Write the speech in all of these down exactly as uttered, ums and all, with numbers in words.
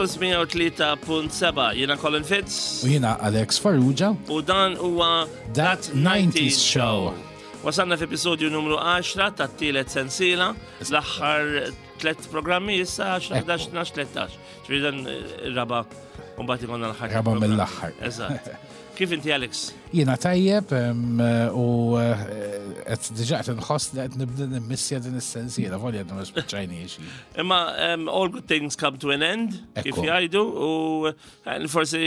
Campus mija u tlieta punt seba'. Jiena Colin Fitz. U jiena Alex Farrugia. U dan huwa That nineties Show. Wasalna f'episodju numru għaxra tat-tielet sensiela, l-aħħar tlet programmi issa, għaxra, ħdax, tnax, tlettax. Ġifieri dan ir-raba' u mbagħad ikollna l-aħħar. Raba' mill-aħħar. Eżatt. Kif inti, Alex? Jiena tajjeb em, u eh, qed diġà qed inħoss li qed nibda nimmissja din is-sensiela, volja għadna ma spiċċajniex. Imma um, all good things come to an end, kif Ekku. jgħidu, u eh, forsi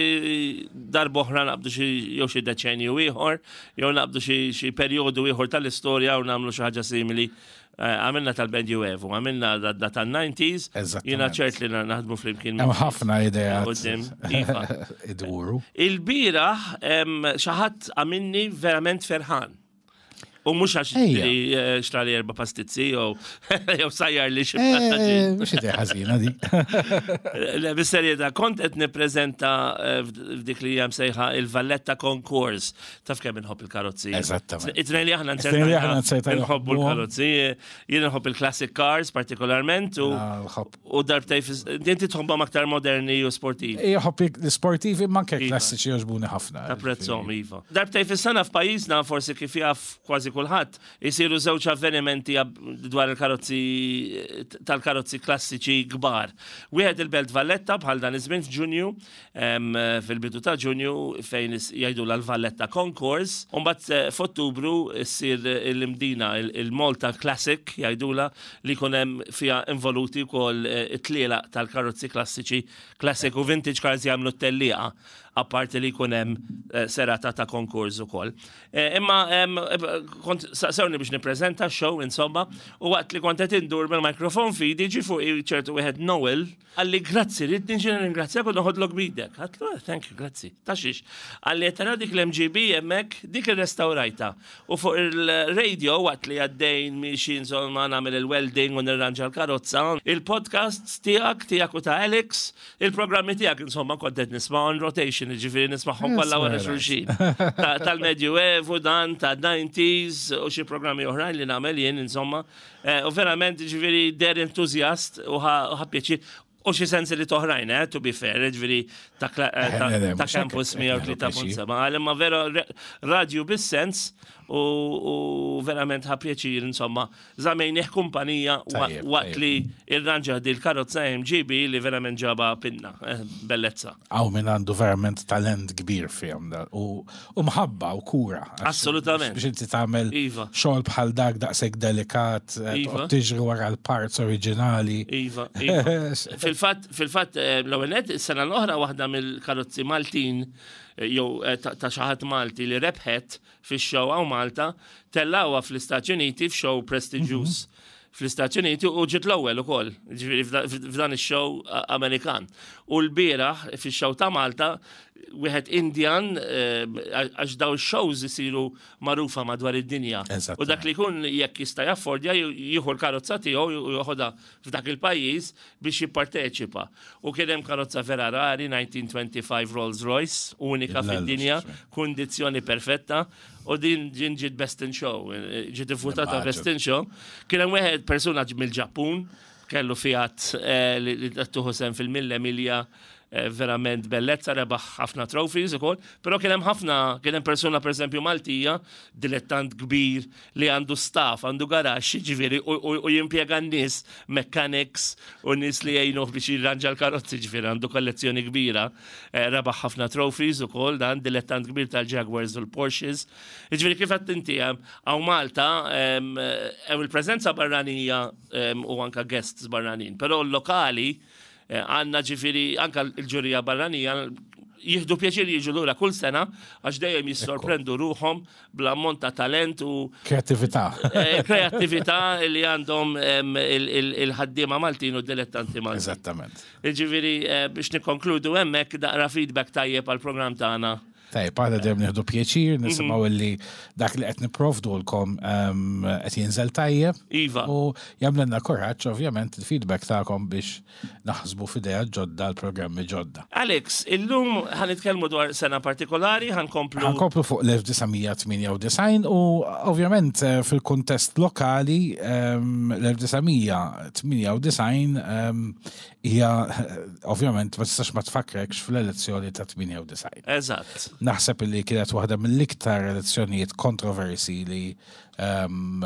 darba oħra naqbdu xi jew xi deċenju ieħor, jew naqbdu xi xi perjodu ieħor tal-istorja u nagħmlu xi ħaġa simili. Eh, Għamilna tal-Medjuevu, għamilna da da tan-nineties, Eżattament. jiena ċert li naħdmu flimkien. Hemm ħafna ideat Quddiem, iva. iduru. Il-bieraħ em, xi ħadd għamilni verament ferħan. U mhux għax Ejja. li eh, xtrali erba' pastizzi jew jew sajjar li xi Eh, mhux idea ħażina dik. Le, bis-serjetà, kont qed nippreżenta eh, f'dik li hija msejħa il-Valletta Concours. Taf kemm inħobb il-karozzi. Eżattament. It-tnejn li aħna It-tnejn li aħna nzerta nħobbu nħobbuhom. l-karozzi. Jien nħobb il-classic cars partikolarment u Nħobb. u darbtej fis- inti tħobbhom aktar moderni u sportivi. Nħobb l-sportivi, ma anke Iva. klassiċi jogħġbuni ħafna. Tapprezzhom, iva. Darbtej fis-sena f'pajjiżna, forsi kif jaf kważi kulħadd, isiru żewġ avvenimenti ab- dwar il-karozzi, tal-karozzi klassiċi kbar. Wieħed il-Belt Valletta bħal dan iż-żmien f'Ġunju, em, fil-bidu ta' Ġunju, fejn is- jgħidu l-Valletta Concours. U mbagħad eh, f'Ottubru ssir l-Imdina il-Malta Classic jgħidula, li jkun hemm fiha involuti wkoll eh, it-tlielaq tal-karozzi klassiċi, classic u vintage cars jagħmlu t-tellieqa, apparti li jkun hemm eh, serata ta' konkurs ukoll. Eh, Imma em, eh, kont saqsewni biex nippreżenta show insomma, u waqt li kont qed indur bil-mikrofon f'idi, ġie fuqi ċertu wieħed Noel, qalli, "Grazzi, rrid niġi nirringrazzjak u noħodlok b'idek." Għedtlu, "Eh, thank you, grazzi. Ta' xiex?" Qalli, "Tara dik l-M G B hemmhekk, dik irrestawrajtha. U fuq il-radio, waqt li għaddejn miexi insomma nagħmel il-welding u nirranġa l-karozza, il-podcast tiegħek, tiegħek u ta' Alex, il-programmi tiegħek insomma kont qed nisma' on rotation, ġifieri nismagħhom kollha wara Yes, xulxin. Ta- Tal-Medjuevu dan, ta' nineties u xi programmi oħrajn li nagħmel jien insomma. Eh, U verament ġifieri deher entużjast u ħa u ħa pjaċir. U xi sensi li toħrajn, eh, to be fair, ġifieri ta' kla- eh, ta' Eh, le, le, ta' mhux hekk Campus qed nieħdu mija u tlieta punt seba. Għal imma vera re- radio bis-sens u u verament ħa pjaċir insomma. Żammejnieh kumpanija wa- Tajjeb, waqt tajjeb. li irranġa di l-karozza M G B li verament ġaba pinna, eh, bellezza. Hawn min għandu verament talent kbir fihom da, u u mħabba u kura. Għax- Assolutament. Biex inti tagħmel Iva. xogħol bħal dak daqshekk delikat, eh, Iva. toqgħod tiġri wara l-parts oriġinali. Iva, iva. Fil-fatt, fil-fatt, eh, l-ewwel nett, is-sena l-oħra waħda mill-karozzi Maltin eh, jew eh, ta' ta' xi ħadd Malti li rebħet fix-show hawn Malta, tellawha fl-Istati Uniti f'show prestiġjuż fl-Istati Uniti u ġiet l-ewwel ukoll, ġifieri f'da- f'dan ix-show a- Amerikan. U l-bieraħ fix-show ta' Malta wieħed Indian, eh, għax daw shows isiru magħrufa madwar id-dinja. Eżattament. U dak li jkun jekk jista' jaffordja jieħu l-karozza tiegħu u joħodha f'dak il-pajjiż biex jipparteċipa. U kien hemm karozza vera rari, elf disa' mija u tlieta u ħamsin Rolls Royce, unika Il-lelux, fid-dinja, xme. kundizzjoni perfetta, u din ġin ġiet best in show, eh, ġiet ivvutata Immaġin. best in show. Kien hemm wieħed persuna mill-Ġappun, kellu Fiat eh, li li tieħu sehem fil-Mille Miglia, eh, verament bellezza, rebaħ ħafna trophies ukoll, però kien hemm ħafna, kien hemm persuna pereżempju Maltija, dilettant kbir li għandu staff, għandu garaxx, ġifieri u, u, u jimpjega n-nies, mechanics u nies li jgħinuh biex jirranġa l-karozzi, ġifieri għandu kollezzjoni kbira, eh, rebaħ ħafna trophies ukoll dan dilettant kbir tal-Jaguars u l-Porsches. Ġifieri kif għedt inti hemm hawn Malta em, hemm il-preżenza barranija em, u anka guests barranin, però l-lokali eh, għandna ġifieri anka l-ġurija barranija jieħdu pjaċir jiġu lura kull sena għax dejjem jissorprendu ruħhom bl-ammont ta' talent u Kreatività. eh, kreattività li għandhom em, il- il- il-ħaddiema Maltin u dilettanti Maltin. Eżattament. Ġifieri eh, biex nikkonkludu hemmhekk daqra feedback tajjeb għal program tagħna. Tajb, għada dejjem nieħdu pjaċir, nisimgħu illi dak li qed nipprovdulkom ehm, qed jinżel tajjeb. Iva. U jagħmlilna kuraġġ ovvjament il-feedback tagħkom biex naħsbu f'idea ġodda l-programmi ġodda. Alex, illum ħa nitkellmu dwar sena partikolari, ħa nkomplu. Ħa nkomplu fuq l-elf disa' mija tmienja u disgħin u ovvjament eh, fil-kuntest lokali ehm, l-elf disa' mija tmienja u disgħin ehm, hija ovvjament ma tistax ma tfakrekx fl-elezzjoni ta' tmienja u disgħin. Eżatt. Naħseb li kienet waħda mill-iktar elezzjonijiet kontroversi li um,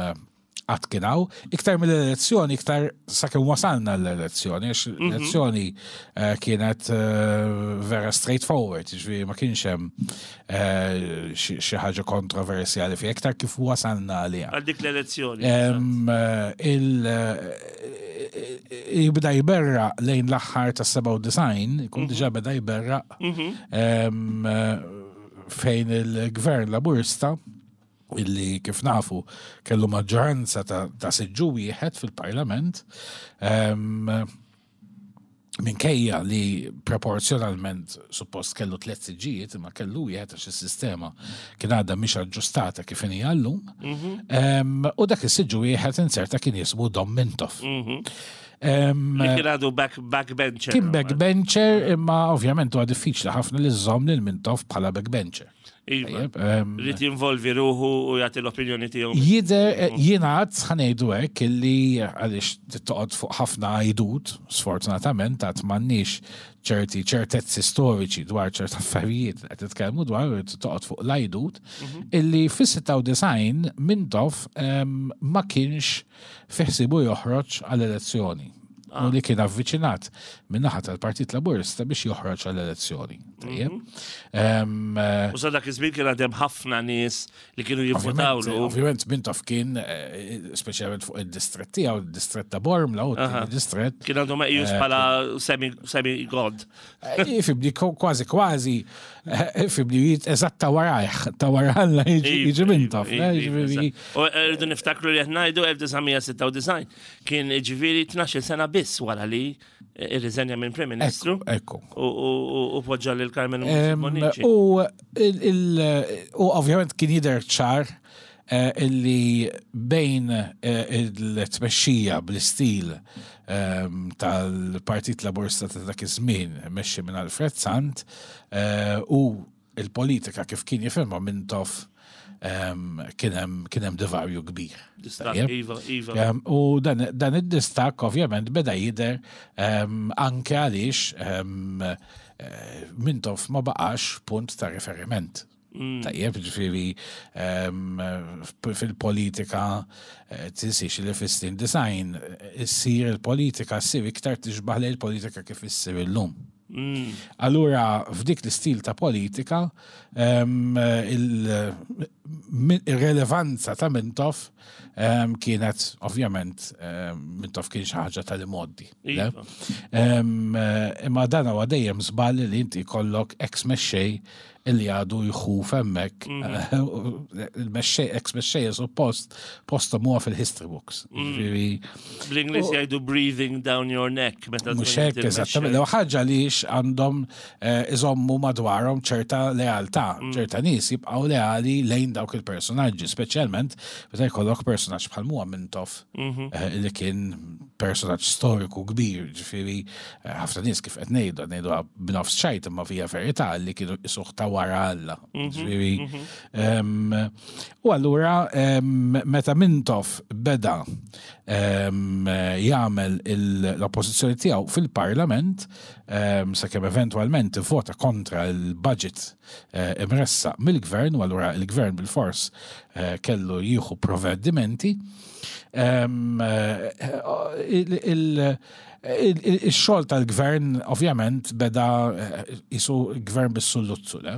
qatt kien hawn. Iktar mill-elezzjoni, iktar sakemm wasalna l-elezzjoni, għax l-elezzjoni eh, kienet eh, vera straightforward, ġifieri ma kienx hemm eh, xi xi ħaġa kontroversjali fi iktar kif wasalna għaliha. Għal dik l-elezzjoni. Em, eh, il eh, jibda jberra lejn l-aħħar ta' sebgħa u disgħin, ikun diġà beda jberra em, eh, fejn il-gvern Laburista, illi kif nafu kellu maġġoranza ta', ta siġġu wieħed fil-parlament, em, minkejja li proporzjonalment suppost kellu tliet siġġijiet, imma kellu wieħed għax is-sistema kien għadha mhix aġġustata kif inhi llum. Em, U dak is-siġġu wieħed inserta kien jismu Dom Mintoff. Em, Li kien għadu back, backbencher. Kien backbencher, imma ovvjament huwa diffiċli ħafna li żżomm lil Mintoff bħala backbencher. Iva. Tajjeb, em, Irid jinvolvi ruħu u jagħti l-opinjoni tiegħu. Jidher, eh, jingħad, ħa ngħidu hekk, illi għaliex toqgħod fuq ħafna għajdut, sfortunatament għad m'għandniex ċerti ċertezzi storiċi dwar ċert affarijiet li qed titkellmu dwar u toqgħod fuq l-għajdut, illi fis-sitta u disgħin Mintoff em, ma kienx fi ħsiebu joħroġ għall-elezzjoni. U li kien avviċinat min-naħa tal-Partit Laburista biex joħroġ għall-elezzjoni. Tajjeb. Em, eh, U sa dak iż-żmien kien għadhem ħafna nies li kienu Ovvjament, jivvotawlu. ovvjament Mintoff kien, eh, speċjalment fuq id-distrett tiegħu, id-distrett ta' Bormla u Aha. d-distrett. Kien għadu meqjus bħala semi, semi god. Ifibni kważi kważi, eh, ifibni eżatt ta' warajh, ta' warajh jiġi jiġi Mintoff. Iva, eh, iva, jiġifieri- eżatt. U rridu niftakru li qed ngħidu elf disa' mija sitta u disgħin kien ġifieri tnax-il sena biss wara li irriżenja minn Prim Ministru Ekku. u u- u poġġa lil Carmen Em, Bonnici. U il- il- u ovvjament kien jidher ċar eh, illi bejn eh, il-tmexxija bl-istil ehm, tal-Partit Laburista ta' dak iż-żmien mexxi minn Alfred Sant eh, u il-politika kif kien jifhimha Mintoff ehm, kien hemm kien hemm divarju kbir. Distakk, Tajjeb? Iva, iva. Um, u dan, dan id-distakk ovvjament beda jidher um, anke għaliex um, eh, Mintoff ma baqax punt ta' riferiment. Mm. Tajjeb, ġifieri um, fil-politika eh, tinsiex li fis-snin disgħin issir il-politika ssir iktar tixbaħ lejn il-politika kif issir illum. Mm. Allura, f'dik l-istil ta' politika, um, il- min- il-relevanza ta' Mintoff um, kienet, ovvjament, um, Mintoff kien xi ħaġa tal-imgħoddi. Le? Iva. Um, imma dan huwa dejjem żball li inti jkollok ex mexxej illi għadu jħuf hemmhekk. Il-mexxej, ex mexxej suppost postom huwa fil-history books. Ġifieri, Bl-Ingliż jgħidu "breathing down your neck" meta mhux tkun hekk inti eżattament. l-mexxej. L ħaġa li għandhom eh, iżommu madwarhom ċerta lealtà, ċerta nies jibqgħu leali lejn dawk il-personaġġi, speċjalment meta jkollok personaġġ bħal huwa Mintoff eh, li kien personaġġ storiku kbir, ġifieri eh, ħafna nies kif qed ngħidu, ngħidu b'nofs ċajt imma fija verità li kienu isuħ ta' wara Alla. Ġifieri, em, u allura em, meta Mintoff beda em, jagħmel il- l-oppożizzjoni tiegħu fil-Parlament, em, sakemm eventwalment vota kontra il-budget eh, imressaq mill-gvern, u allura il-gvern bil-fors eh, kellu jieħu provvedimenti. Em, eh, il- il- il- il-xogħol tal-gvern ovvjament beda eh, jisu gvern bis-sulluzzu, le?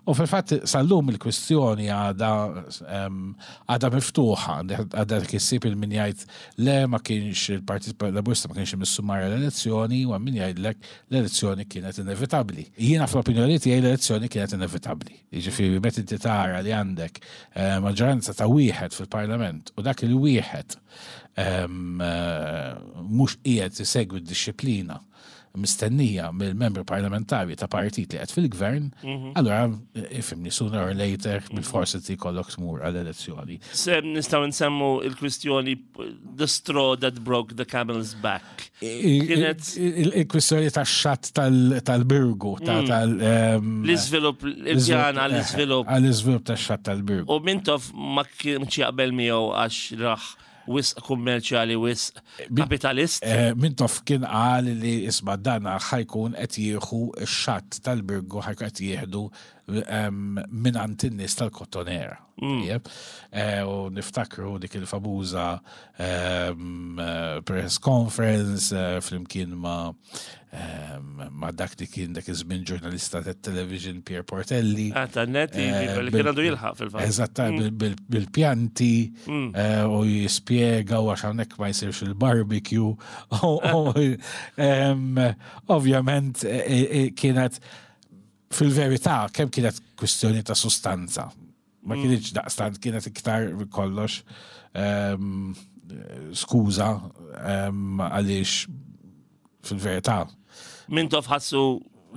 U fil-fatt sal-lum il-kwistjoni għada em, għada miftuħa, għada kissib il-min jgħid le ma kienx il-Partit Laburista ma kienx imissu mar l-elezzjoni u min jgħidlek l-elezzjoni kienet inevitabbli. Jiena fl-opinjoni tiegħi l-elezzjoni kienet inevitabbli. Jiġifieri meta inti tara li għandek eh, maġġoranza ta' wieħed fil-Parlament u dak il-wieħed em, eh, mhux qiegħed isegwi d-dixxiplina mistennija mill-membri parlamentari ta' partit li qed fil-gvern, allura ifhimni, sooner or later bil-forsi ti jkollok tmur għall-elezzjoni. Se nistgħu nsemmu il-kwistjoni "the straw that broke the camel's back". Kienet- Il-kwistjoni ta' xatt tal-Birgu, ta' tal- ehm, L-iżvilupp, il-pjan għall-iżvilupp. Għall-iżvilupp ta' xatt tal-Birgu. U Mintoff ma kienx jaqbel miegħu għax raħ wisq kummerċjali, wisq kapitalist. Eh, Mintoff kien qal li isma', dana ħa jkun qed jieħu x-xatt tal-Birgu, ħa jkun qed jieħdu em, minn in-nies tal-Kottonera. Tajjeb. Eh, U niftakru dik il-famuża em, eh, press conference eh, flimkien ma' em, ma' dak li kien dak iż-żmien ġurnalista tat-television Pierre Portelli. Ah, ta' Net, Eh, li bil- kien għandu jilħaq fil-fatt. Eżatta, bil- bil- bil-pjanti eh, u jispjega u għax hawnhekk ma jsirx il-barbecue. U- u, em, Ovvjament eh, eh, kienet fil-verità kemm kienet kwistjoni ta' sustanza. Ma kienx daqstant, kienet iktar kollox em, skuża em, għaliex fil-verità. Mintoff ħassu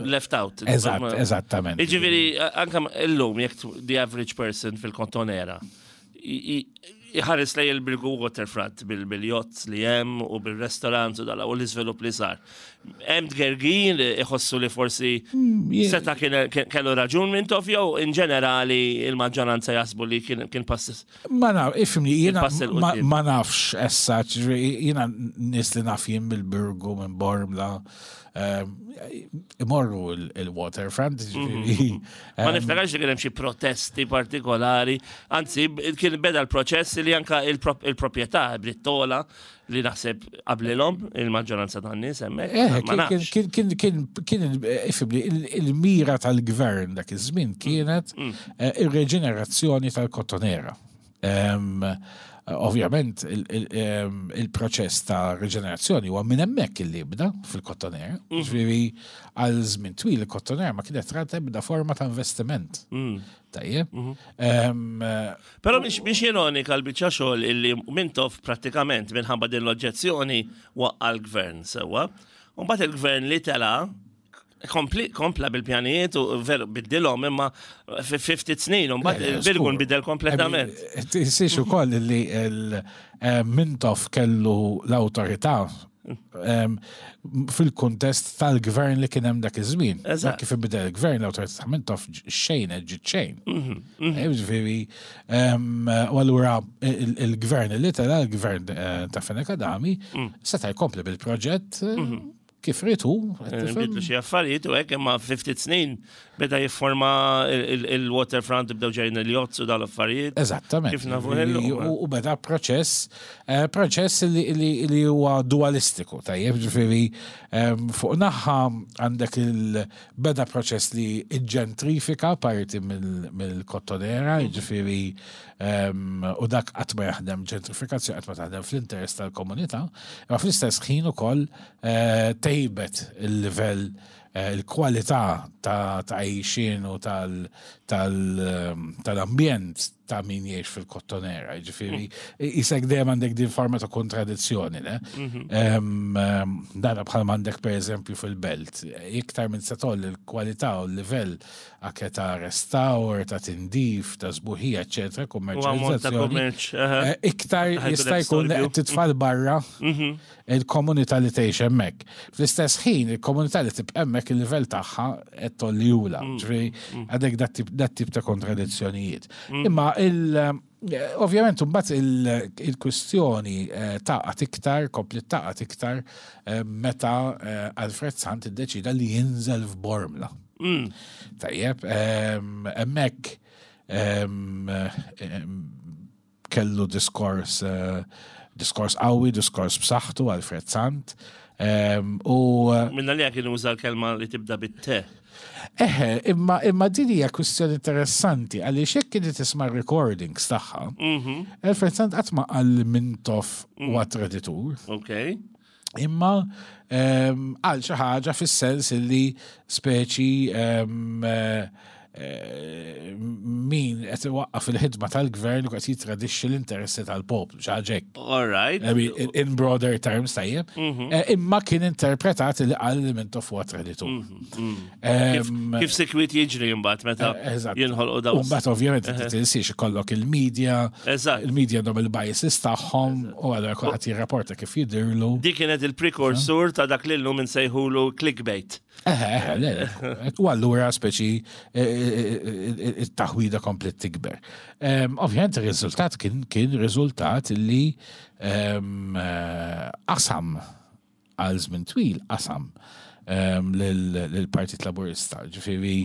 left out. Eżatt, eżattament. Iġifieri, anka illum, jekk the average person fil-Kottonera, i- i- iħares lej il-Birgu Waterfront bil-yachts li hemm u bil-restaurant u dala u l-iżvilupp li sar. Hemm tgergin li iħossu li forsi seta kien kellu raġun Mintoff, jew in ġenerali il-maġġoranza jaħsbu li kien kien pass Ma naf, ifhimni, jiena Il-pass 'il ma, quddiem. ma nafx essa, ġifieri, jiena nies li naf jien bil-Birgu minn Bormla, ehm, imorru il- il-waterfront, ġifieri, Ma ehm, niftakarx li kien hemm xi protesti partikolari, anzi b- kien beda l-proċess li anka il-prop- il-proprjetà Brittola li naħseb qablilhom il-maġġoranza tan-nies hemmhekk. Eh, Ma kien, nafx. kien, kien, kien, kien, ifhimni, il- il-mira tal-gvern dak iż-żmien kienet eh, ir-reġenerazzjoni tal-Kottonera. Em, Ovvjament, il- il- em, il-proċess ta' reġenerazzjoni huwa minn hemmhekk illi jibda fil-Kottonera. Ġifieri għal żmien twil il-Kottonera ma kienet rat ebda forma ta' investiment. Tajjeb. Em, eh, Però mhix mhix ironika l-biċċa xogħol illi Mintoff prattikament minħabba din l-oġġezzjoni waqqa l-gvern sewwa. U mbagħad il-gvern li tela kompli, kompla bil-pjanijiet u veru biddilhom, imma fi ftit snin u mbagħad il-Birgu nbidel kompletament. Tinsiex ukoll li il- eh, Mintoff kellu l-awtorità em, fil-kuntest tal-gvern li kien hemm dak iż-żmien. Eżatt. Dak kif inbidel il-gvern, l-awtorità ta' Mintoff xejn ġiet xejn. Mhm, Eh, Ġifieri, em, u allura il- il-gvern li tela, il-gvern eh, ta' Fenech Adami, Mm. seta' jkompli bil-proġett eh, kif ried hu. Bidlu xi affarijiet u hekk, imma fi ftit snin beda jifforma il-waterfront, bdew ġejjin il-yachts u dal-affarijiet. Eżattament. Kif nafu illum. U u beda proċess, eh, proċess li, li, li huwa dualistiku, tajjeb, ġifieri em, fuq naħa għandek il-beda proċess li ġentrifika parti mill- mill-Kottonera, ġifieri em, u dak qatt ma jaħdem, ġentrifikazzjoni qatt ma taħdem fl-interess tal-komunità, imma fl-istess ħin ukoll eh, tejbet il-livell, eh, il-kwalità ta' ta' għajxien u tal- tal- ehm, tal-ambjent ta' min jgħix fil-Kottonera. Ġifieri, jisek dejjem għandek din forma ta' kontradizzjoni, ne? Em, em, Dana bħal għandek per eżempju fil-belt. Iktar minn se tgħolli il-kwalità u l-livell anke ta' restawr, ta' tindif, ta' sbuħija, eccetera, U ammont ta' kummerċjalizzazzjoni. kummerċ. aha. Eh, Iktar Ħajkun jista' hemm jkun storbju. qed titfal barra il-komunità li tgħix hemmhekk. Fl-istess ħin, il-komunità li tibqa' hemmhekk, il-livell tagħha qed tgħollihulha. Ġifieri għandek dat tip- dat tip ta' kontradizzjonijiet. Imma il eh, ovvjament mbagħad il- il-kwistjoni eh, taqgħet iktar, kompli taqgħet iktar eh, meta eh, Alfred Sant iddeċida li jinżel f'Bormla. Tajjeb, em, hemmhekk em, em, kellu diskors eh, diskors qawwi, diskors b'saħħtu Alfred Sant. Em, U eh, Minna li kien uża l-kelma li tibda bit-te. Eħe, imma, imma din hija kwistjoni interessanti għaliex jekk inti tisma' recordings tagħha, Alfred Sant qatt ma qal Mintoff huwa traditur, Ok. imma em, għal xi ħaġa fis-sens illi speċi em, eh, eh, min qed iwaqqaf il-ħidma tal-gvern u qed jitradixxi l-interessi tal-poplu, xi ħaġa hekk. All right. I mean, in, in broader terms, tajjeb. Eh, Imma kien interpretat li qal li Mintoff huwa traditur. Kif, Em, kif sikwit jiġri imbagħad meta Eh, eżatt. jinħolqu dawn. U mbagħad ovvjament inti tinsiex ikollok il-media, Eżatt. il-media għandhom il-biases tagħhom u allura kulħadd jirrapporta kif jidhirlu. Dik kienet il-prekursur ta' dak li llum insejħulu clickbait. Eħe, eħe, le, le. U allura speċi eh, eh, eh, it-taħwida komplet tikber. Em, Ovvjament ir-riżultat kien kien riżultat li em, eh, qasam għal żmien twil qasam em, lil- lill-Partit Laburista. Ġifieri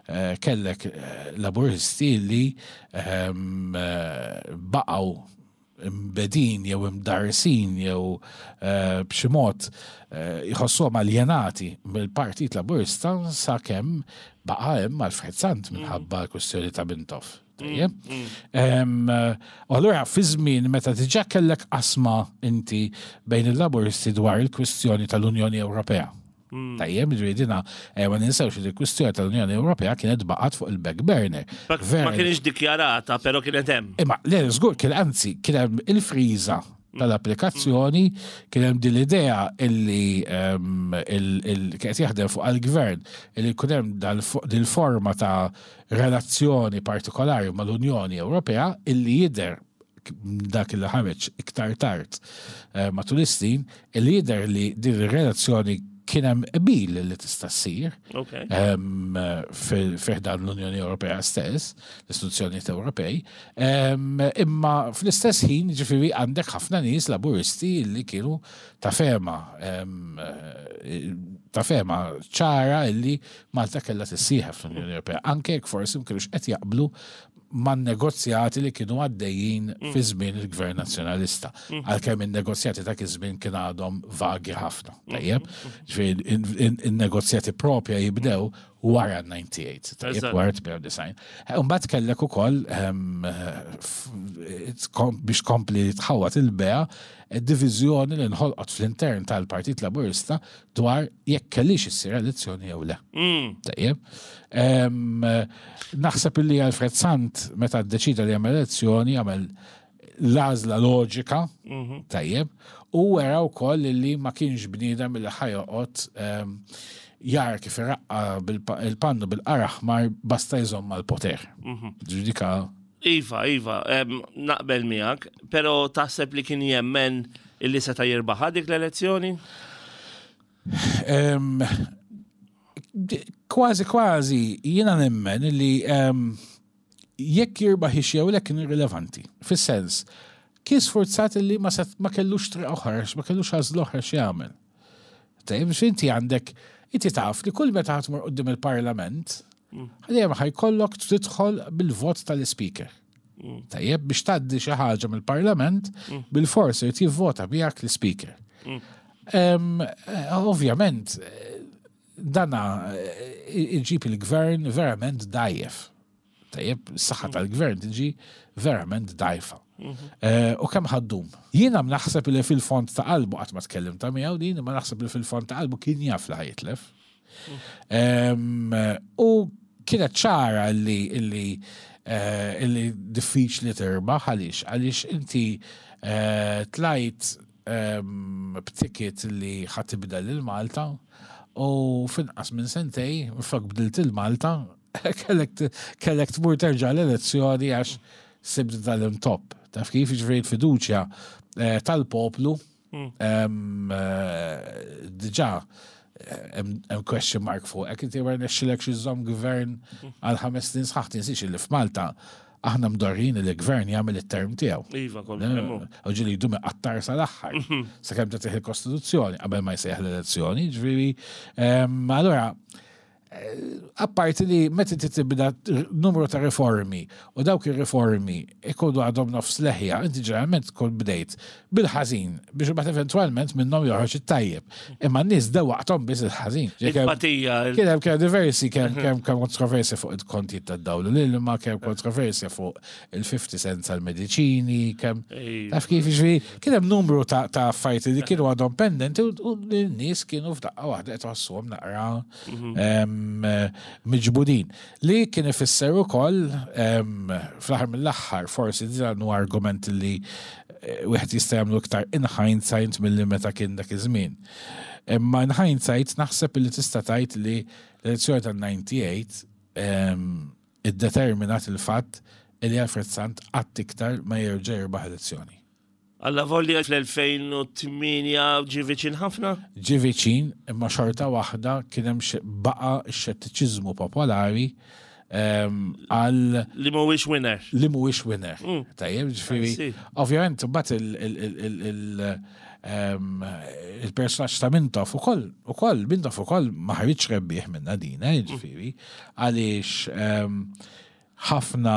eh, kellek eh, Laburisti li em, eh, baqgħu imbegħdin jew imdarsin jew eh, b'xi mod eh, jħossuhom aljenati mill-Partit Laburista sakemm baqa' hemm Alfred Sant minħabba l-kwestjoni ta' Mintoff. Tajjeb? Em, eh, U allura fi żmien meta diġà kellek qasma inti bejn il-Laburisti dwar il-kwestjoni tal-Unjoni Ewropea. Tajjeb, ġifieri dina, eh, ma ninsewx li l-kwestjoni tal-Unjoni Ewropea kienet baqgħet fuq il-back burner. Ma ma Vera- kienx dikjarata, però kienet hemm. Imma, le, żgur, kien anzi, kien hemm il-friża tal-applikazzjoni, kien hemm din l-idea illi em, il- il- kien qed jaħdem fuq għal-gvern illi jkun hemm dil-forma ta' relazzjoni partikolari mal-Unjoni Ewropea illi jidher dak li ħareġ iktar tard eh, matul is-snin, illi jidher li din ir-relazzjoni kien hemm qbil li tista' ssir Ok. em, fi ħdan l-Unjoni Ewropea stess, l-istituzzjonijiet Ewropej, em, imma fl-istess ħin ġifieri għandek ħafna nies laburisti li kienu ta' fehma em, eh, ta' fehma ċara illi Malta kellha tissieħeb fl-Unjoni Ewropea, anke jekk forsi ma kienux qed jaqblu man negozjati li kienu għaddejjin fi żmien il-Gvern Nazzjonalista. Għalkemm in-negozjati ta' iż-żmien kien għadhom vagi ħafna. Tajjeb, ġifieri in-negozjati propja jibdew wara ddisgħa u disgħin, tajjeb, Eżatt. wara tmienja u disgħin. Mbagħad kellek ukoll ehm, f- kom- biex kompli tħawat il-bea diviżjoni li nħolqot fl-intern tal-Partit Laburista dwar jekk kellix issir elezzjoni jew le. Mm. Tajjeb. Em, Naħseb illi Alfred Sant meta ddeċida li jagħmel elezzjoni jagħmel l-għażla loġika, tajjeb, u wera wkoll li ma kienx bniedem li ħa joqgħod em, jara kif iraqqa bil- il-pannu bil-qara aħmar basta jżomm mal-poter. Ġudika Iva, Iva, em, naqbel miegħek, però taħseb li kien jemmen illi seta' jirbaħ dik l-elezzjoni? Em, di- Kważi kważi jiena nemmen li em, jekk jirbaħ jew le kien irrilevanti. Fis-sens, kien sfurzat li ma, set, ma kellux triq oħra, ma kellux għażla oħra x'jagħmel. Tajjeb, biex inti għandek, inti taf li kull meta ħa tmur quddiem il-parlament, dejjem ħa jkollok tidħol bil-vot tal-speaker. Tajjeb, biex tgħaddi xi ħaġa mill-parlament, bil-forsi jrid jivvota bijak l-speaker. Em, eh, Ovvjament, eh, dana eh, iġib il-gvern verament dajjef. Tajjeb, s-saħħa tal-gvern tiġi verament dajfa. Eh, U kemm ħa ddum? Jiena naħseb li fil-fond ta' qalbu qatt ma tkellim ta' miegħu din, imma naħseb li fil-fond ta' qalbu kien jaf li ħa jitlef. Em, U kienet ċara li illi eh, illi diffiċli tirbaħ għaliex għaliex inti eh, tlajt em, b'ticket li ħa tibdel lil Malta u finqas minn sentej, flok bdilt il-Malta, kellek t- kellek tmur terġa' l-elezzjoni għax sibt dal-intop. Taf kif ġifieri fiduċja eh, tal-poplu em, eh, diġà hemm hemm question mark fuq. Hekk inti ma rnexxilek xi żomm gvern għal ħames snin sħaħ tinsiex li f'Malta aħna mdorrin li l-gvern jagħmel it-term tiegħu. Iva, kol kemmu. U ġieli jdum iqattar sal-aħħar. Sakemm tagħtih il-Kostituzzjoni qabel ma jsejjaħ l-elezzjoni, ġifieri em, allura eh, apparti li meta inti tibda numru ta' riformi u dawk ir-riformi ikunu għadhom nofs leħja, inti ġeneralment tkun bdejt bil-ħażin biex imbagħad eventwalment minnhom joħroġ it-tajjeb. Imma n-nies dewwaqthom biss il-ħażin. Il-patija. il- Kien hemm kemm diversi kemm kemm kemm kontroversja fuq il-kontijiet tad-dawl l-ilma, kemm kontroversja fuq il-fifty cents għal-mediċini, kemm Ej. taf kif ġifieri, kien hemm numru ta' ta' affarijiet li kienu għadhom pendenti u u n-nies kienu f'daqqa waħda qed iħossuhom naqra em, em, miġbudin. Li kien ifisser ukoll em, fl-aħħar mill-aħħar forsi dan huwa argument li eh, wieħed jista' jagħmlu iktar in hindsight milli meta kien dak iż-żmien. Imma in hindsight naħseb li tista' tgħid li l-elezzjoni tal-disgħa u disgħin em, iddeterminat il-fatt li Alfred Sant qatt iktar ma jerġa' jirbaħ elezzjoni. Allavolja fl-elfejn u tmienja ġie viċin ħafna? Ġie viċin, imma xorta waħda kien hemm xi- baqa' x-xettiċiżmu popolari em, għal Li mhuwiex winner. Li mhuwiex winner. Tajjeb, ġifieri, I see. ovvjament, mbagħad il- il- il- il- il- em, il-personaġġ ta' Mintoff ukoll, ukoll, Mintoff ukoll ma ħaritx rebbieħ minna din, eh, ġifieri, għaliex em, ħafna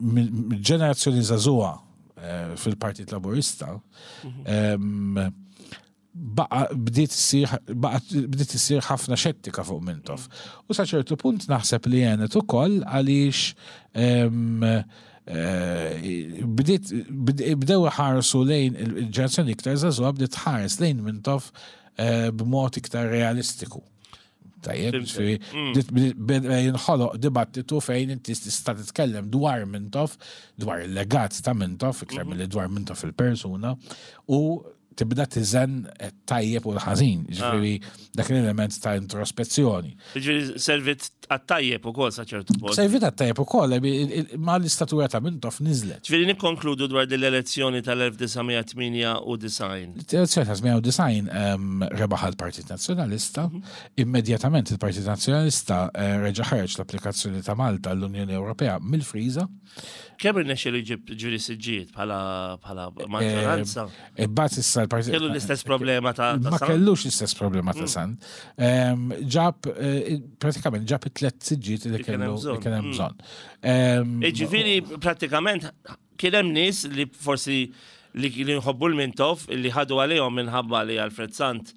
mill- ġenerazzjoni żagħżugħa eh, fil-Partit Laburista em, baqa bdiet issir baqa bdiet issir ħafna xettika fuq Mintoff. U sa ċertu punt naħseb li għenet ukoll għaliex em, eh, bdiet bd- bdew ħarsu lejn il-ġenerazzjoni iktar żagħżugħa bdiet ħares lejn Mintoff eh, b'mod iktar realistiku. Tajjeb, Fhimt. ġifieri, bdiet- bdiet- beda jinħoloq dibattitu fejn inti tista' titkellem dwar Mintoff, dwar il-legat ta' Mintoff, iktar milli dwar Mintoff il-persuna, u tibda tiżen tajjeb u l-ħażin, ġifieri dak l-element ta' introspezzjoni. Ġifieri servit għat-tajjeb ukoll sa ċertu punt. Servit għat-tajjeb ukoll, ma l-istatura ta' Mintoff niżlet. Ġifieri nikkonkludu dwar din l-elezzjoni tal-elf disa' mija tmienja u disgħin. L-elezzjoni ta' tmienja u disgħin em, rebaħ il-Partit Nazzjonalista, immedjatament il-Partit Nazzjonalista eh, reġa' ħareġ l-applikazzjoni ta' Malta l-Unjoni Ewropea mill-friża. Kemm irnexxielu jġib ġifieri siġġijiet bħala bħala maġġoranza? Imbagħad issa l-Partit Kellu l-istess problema ta' ta' Ma Sant? kellux l-istess problema ta' Sant. Em, Ġab, eh, pratikament ġab it-tlet siġġiet li Li kien hemm kellu li bżonn. kien hemm Mm. bżonn. Em, Ġifieri pratikament kien hemm nies li forsi li kienu jħobbu l-Mintoff li ħadu għalihom minħabba li Alfred Sant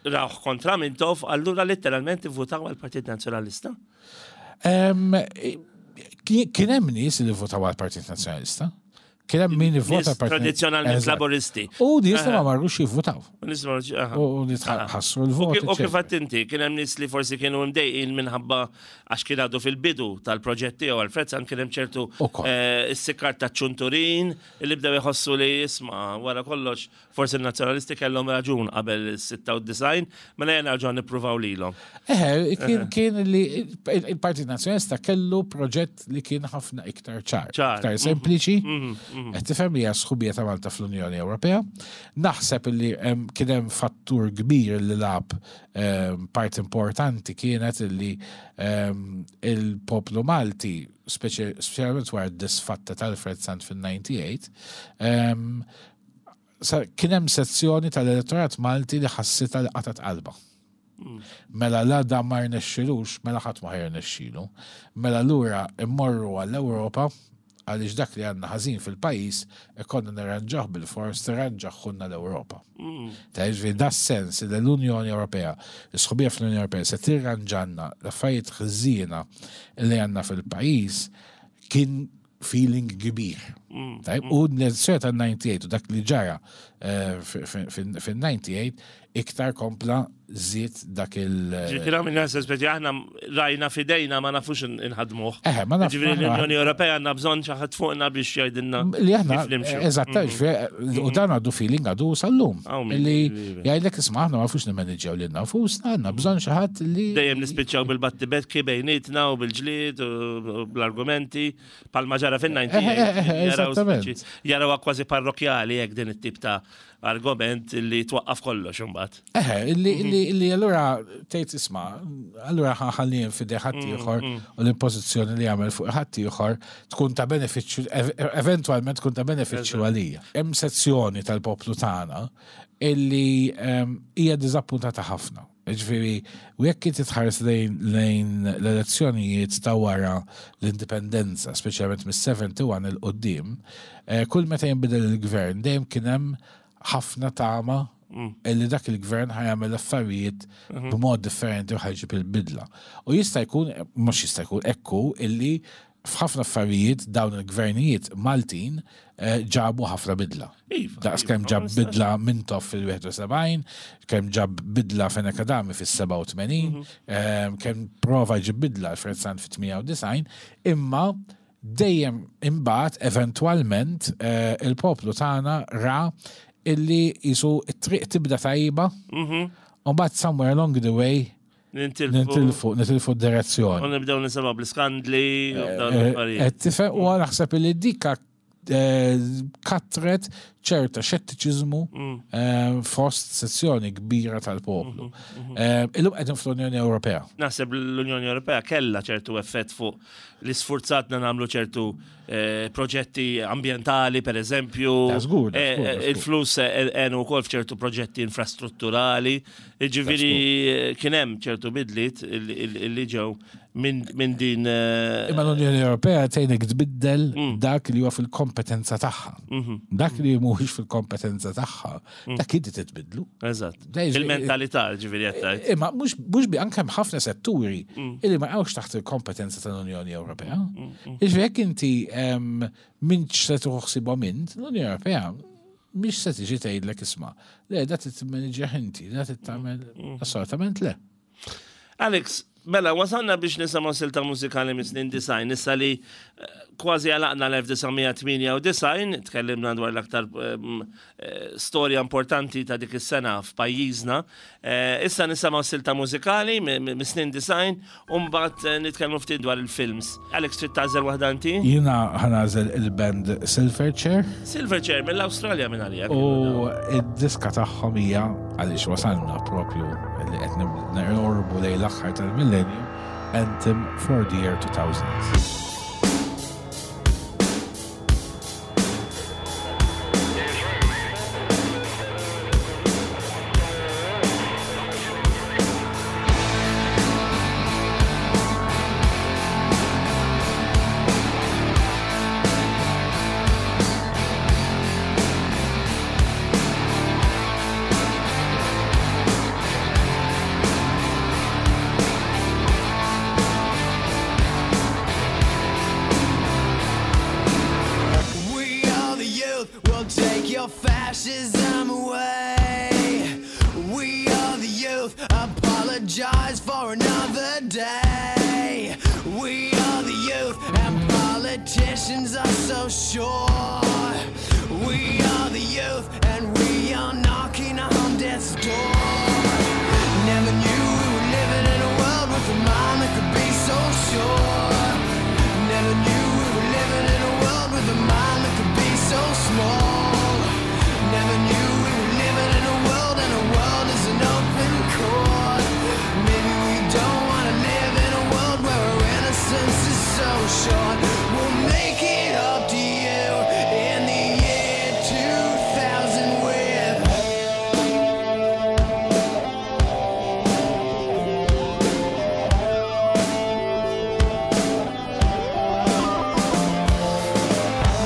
rawh kontra Mintoff, allura letteralment votaw għal-Partit Nazzjonalista. em, Kien kien hemm nies li votaw għall-Partit Nazzjonalista. Kien hemm min ivvota Nies tradizzjonalment Eżatt. laboristi. U nies li ma marrux jivvotaw. Nies ma- aha. U nies ħassru l-vot. U kif eċċetera. għedt inti, kien hemm nies li forsi kienu mdejqin minħabba għax kien għadu fil-bidu tal-proġett tiegħu Alfred Sant, kien hemm ċertu Ukoll. eh, is-sikkar ta' ċunturin li bdew jħossu li jisma' wara kollox forsi n-nazzjonalisti kellhom raġun qabel is-sitta u disgħin, mela jena nerġgħu nippruvaw lilhom. Eħe, kien kien li il-Partit Nazzjonalista kellu proġett li kien ħafna iktar ċar, Ċar. iktar sempliċi. Qed tifhem li hija sħubija ta' Malta fl-Unjoni Ewropea. Naħseb li em, kien hemm fattur kbir li lagħab em, part importanti kienet li em, il-poplu Malti, speċi- speċjalment wara d-disfatta tal-Alfred Sant fil-disgħa u disgħin, em, sa- kien hemm sezzjoni tal-elettorat Malti li ħassitha li qatat qalba. Mela la da ma rnexxilux, mela ħadd ma ħajrnexxilu. Mela lura immorru għall-Ewropa għaliex dak li għandna ħażin fil-pajjiż ikonna nirranġaħ bil-fors tirranġaħ l-Ewropa. Ta' ġifieri da sens li l-Unjoni Ewropea, l-sħubija fl-Unjoni Ewropea se tirranġanna l-affarijiet ħżiena li għandna fil-pajjiż kien feeling kbir. Tajb, u l-elezzjoni tal-disgħa u disgħin u dak li ġara eh, fil-disgħa u disgħin iktar kompla żied dak il- Ġifieri minn nasa speċi aħna rajna fidejna ma nafux inħadmuh. Eħe, ma naf- Ġifieri aħna- l-Unjoni Ewropea għandna bżonn xi ħadd fuqna biex jgħidilna Li aħna, kif nimxu. eżatt, ġifieri, u dan għadu feeling għadu sal-lum. Aw, min- Li iva. jgħidlek, isma', aħna ma nafux nimmanġġjaw lilna nfusna, għandna bżonn xi ħadd li. Dejjem nispiċċaw bil-battibekki bejnietna u bil-ġlied u bl-argumenti palma ġara fin-disgħa u disgħin. Eh, eh, eh, Jaraw eżattament. speċi- Jaraw kważi parrokjali jekk din it-tip ta' argument li twaqqaf kollox imbagħad. Eħe, illi illi illi allura tgħid, isma', allura ħalli f'idejn ħadd ieħor u l-impożizzjoni li jagħmel fuq ħadd ieħor tkun ta' benefiċċju, ev- eventwalment tkun ta' benefiċċju għalija. Hemm sezzjoni tal-poplu tagħna illi em, hija diżappuntata ħafna. Ġifieri, u jekk inti tħares lejn lejn l-elezzjonijiet ta' wara l-indipendenza, speċjalment mis-sebgħa u sebgħin 'il quddiem, eh, kull meta jinbidel il-gvern dejjem kien hemm ħafna tama illi dak il-gvern ħa jagħmel affarijiet b'mod differenti u ħa jġib il-bidla. U jista' jkun, mhux jista' jkun, ekku illi f'ħafna affarijiet dawn il-gvernijiet Maltin eh, ġabu ħafna bidla. Iva, Daqs iva, kemm ma ġab nistax. bidla Mintoff fil-wieħed u sebgħin, kemm ġab bidla Fenech Adami fis-sebgħa u tmenin, em, kemm prova ġib bidla Alfred Sant fit-tmienja u disgħin, imma dejjem imbagħad eventwalment eh, il-poplu tagħna ra illi jisu it-triq tibda tajba, u mbagħad somewhere along the way Nintilfu. nitilfu nitilfu d-direzzjoni. U nibdew nisimgħu bl-iskandli u dawn Eh, l-affarijiet. eh, Tifhem, u naħseb li dika eh, katret ċerta xettiċiżmu eh, fost sezzjoni kbira tal-poplu. Eh, Illum qegħdin fl-Unjoni Ewropea. Naħseb l-Unjoni Ewropea kella ċertu effett fuq li sfurzatna nagħmlu ċertu eh, proġetti ambientali, per eżempju. Da żgur, da Eh, żgur, da eh, żgur. Il-flus għenu wkoll f'ċertu proġetti infrastrutturali. Ġifieri eh, kien hemm ċertu bidliet illi ġew minn min din. eh, Imma l-Unjoni Ewropea tgħinek tbiddel dak li huwa fil-kompetenza tagħha. Dak li mhuwiex fil-kompetenza tagħha, dak inti titbidlu. Eżatt. Da jiġri- Il-mentalità, ġifieri qed tgħid. Imma mhux mhux bi anke hemm ħafna setturi illi ma jaqgħux taħt il-kompetenza tal-Unjoni Ewropea. Jiġifieri jekk inti em, m'intx se tieħu ħsiebhom int, l-Unjoni Ewropea mhix se tiġi tgħidlek isma' le da titmanaġġja inti, da titagħmel, assolutament le. Alex, mela, wasalna biex nisimgħu silta mużikali mis snin disgħin, issa li eh, kważi għalaqna l-elf disa' mija tmienja u disgħin, tkellimna dwar l-aktar em, eh, storja importanti ta' dik is-sena f'pajjiżna. Eh, Issa nisimgħu silta mużikali mi- mi- mis snin disgħin, u mbagħad eh, nitkellmu ftit dwar il-films. Alex, trid tagħżel waħda inti? Jiena ħa nagħżel il-band Silverchair Silverchair mill-Awstralja minn għalija. u id-diska tagħhom hija, għaliex wasalna propju li qed noqorbu lejn l-aħħar tal-millennium, Anthem for the Year two thousand. We are the youth, we'll take your fascism away. We are the youth, apologize for another day. We are the youth, and politicians are so sure. We are the youth, and we are knocking on death's door. Never knew we were living in a world with a mind that could be so sure. Never knew we were living in a world with a mind that could be so small. Never knew we were living in a world and a world is an open court. Maybe we don't wanna live in a world where our innocence is so short. We'll make it up to you in the year two thousand with.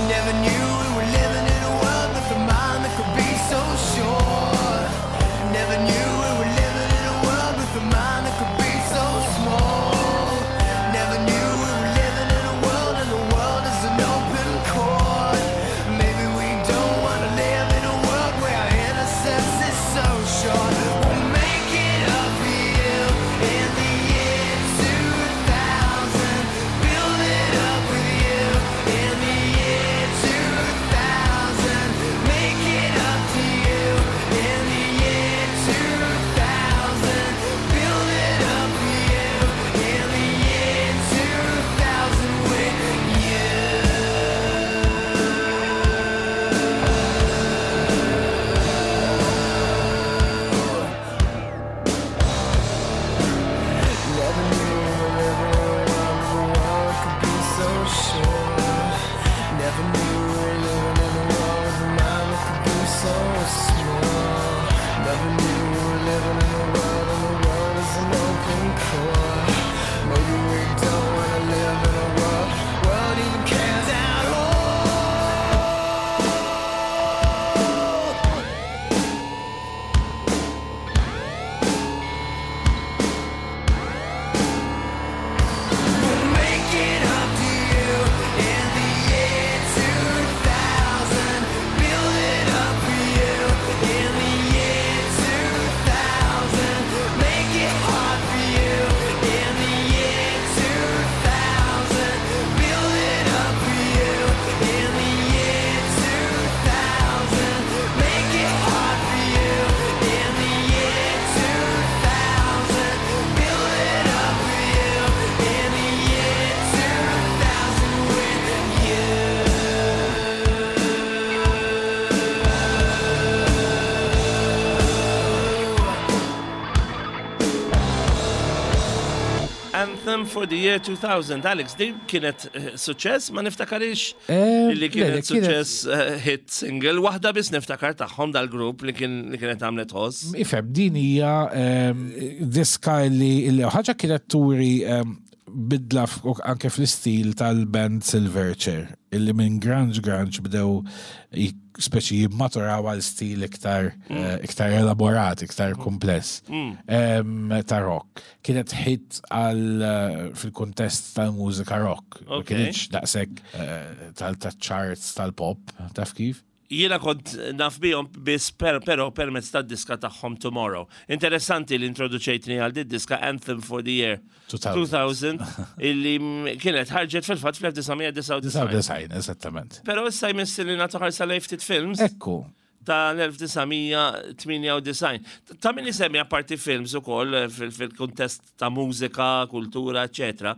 Never knew we were living in a world with a mind that could be so sure. Never knew we were living in a world with a mind that could be so small. Never knew we were living in a world and the world is an open court. Maybe we don't wanna live in a world where our innocence is so short. We'll make it up for you in the year two thousand. Build it up with you in the year two thousand. Make it up to you in the year two thousand. Build it up for you in the year two thousand with you. Never knew we were living in a world where the world could be so sure. Never knew we were living in a world with a mind that could be so small. Never knew we were living in a world and the world is an open court. Maybe we don't wanna live in a world world even cares at all. We'll make it up to you Anthem for the Year two thousand. Alex, din kienet eh, suċċess, ma niftakarix Eh, li le, kienet le, kienet- suċċess eh, hit single. Waħda biss niftakar tagħhom dal-grupp li kien li kienet għamlet ħoss. Ifhem, din hija ehm, diska li li ħaġa kienet turi ehm, bidla f- anke fl-istil tal-band Silverchair, illi minn grunge grunge bdew i- speċi jimmaturaw għal stil iktar eh, iktar elaborat, iktar kumpless ehm, ta' rock. Kienet hit għal eh, fil-kuntest tal-mużika rock. Ma Ok. kienx daqshekk eh, tal-charts tal-pop, taf kif? Jiena kont naf bihom biss per, pero permezz tad-diska tagħhom Tomorrow. Interessanti li introduċejtni għal di diska Anthem for the Year two thousand. two thousand illi mm, kienet ħarġet fil-fatt fl-elf disa' mija disgħa u disgħin. Design, eżattament. Pero issa jmiss li nagħtu ħarsa lejn ftit films Ekku, tal-elf disa' mija tmienja u disgħin. Ta' min isemmi apparti films ukoll eh, fil- fil-kuntest ta' mużika, kultura, eccetera.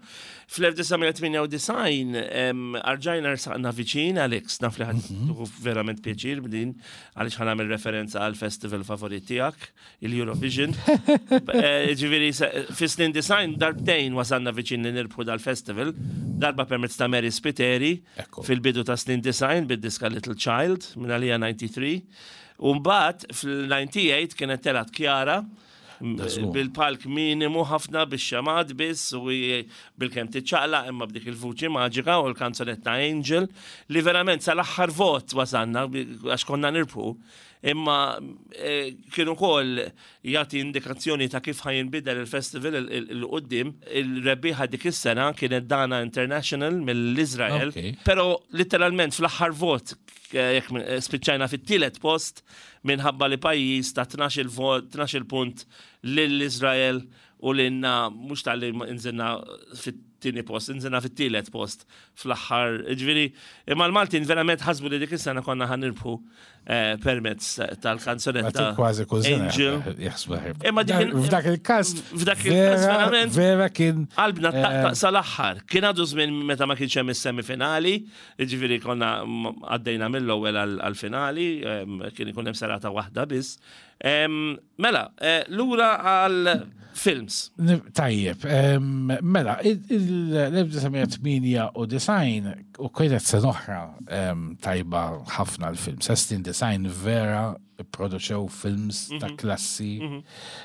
Fl-elf disa' mija tmienja u disgħin em, arġajna rsaqna viċin, Alex, naf li ħa tieħu verament pjaċir b'din, għaliex ħa nagħmel referenza għal festival favorit tiegħek, il-Eurovision. Eh, Ġifieri, se- fis-snin disgħin darbtejn wasalna viċin li nirbħu dal-festival, darba permezz ta' Mary Spiteri, Ekku. fil-bidu ta' snin disgħin bid-diska Little Child minn għalija disgħa u disgħin. U mbagħad fil-disgħa u disgħin kienet telgħet Chiara m- Da żgur. bil-palk minimu ħafna, bix-xemgħat biss u hi- bil-kemm tiċċaqlaq imma b'dik il-vuċi maġika u l-kanzunetta Angel li verament sal-aħħar vot wasalna bi- għax konna nirbħu, imma eh, kienu kol jagħti indikazzjoni ta' kif ħa jinbidel il-festival il-qoddim. Il-rebbieħa dik is-sena kienet Dana International mill-Izrael, Ok. pero literalment fl-aħħar vot eh, jekk eh, spiċċajna fit-tielet post minħabba li pajjiż ta' tnax-il vot, tnax-il punt lill-Izrael u lilna mhux tal-li inżilna fit-tieni post, inżilna fit-tielet post fl-aħħar. Ġifieri, imma l-Maltin verament ħasbu li dik is-sena konna ħa nirbħu eh, permezz tal-kanzunetta kważi kull sena Angel. jaħsbu ħirb. Imma dik il- F'dak il-każ, F'dak il-każ vera- verament- Vera kien. Qalbna eh, taqtaq sal-aħħar. Kien għadu żmien meta ma kienx hemm is-semifinali, jiġifieri konna m- għaddejna mill-ewwel għall-finali, em, kien ikun hemm serata waħda biss. Em, Mela, eh, lura għal films. Ni- Tajjeb, em, mela, il-elf disa' mija tmienja u disgħin u kienet sena oħra em, tajba ħafna l-film. Snin disgħin vera produċew films ta' klassi.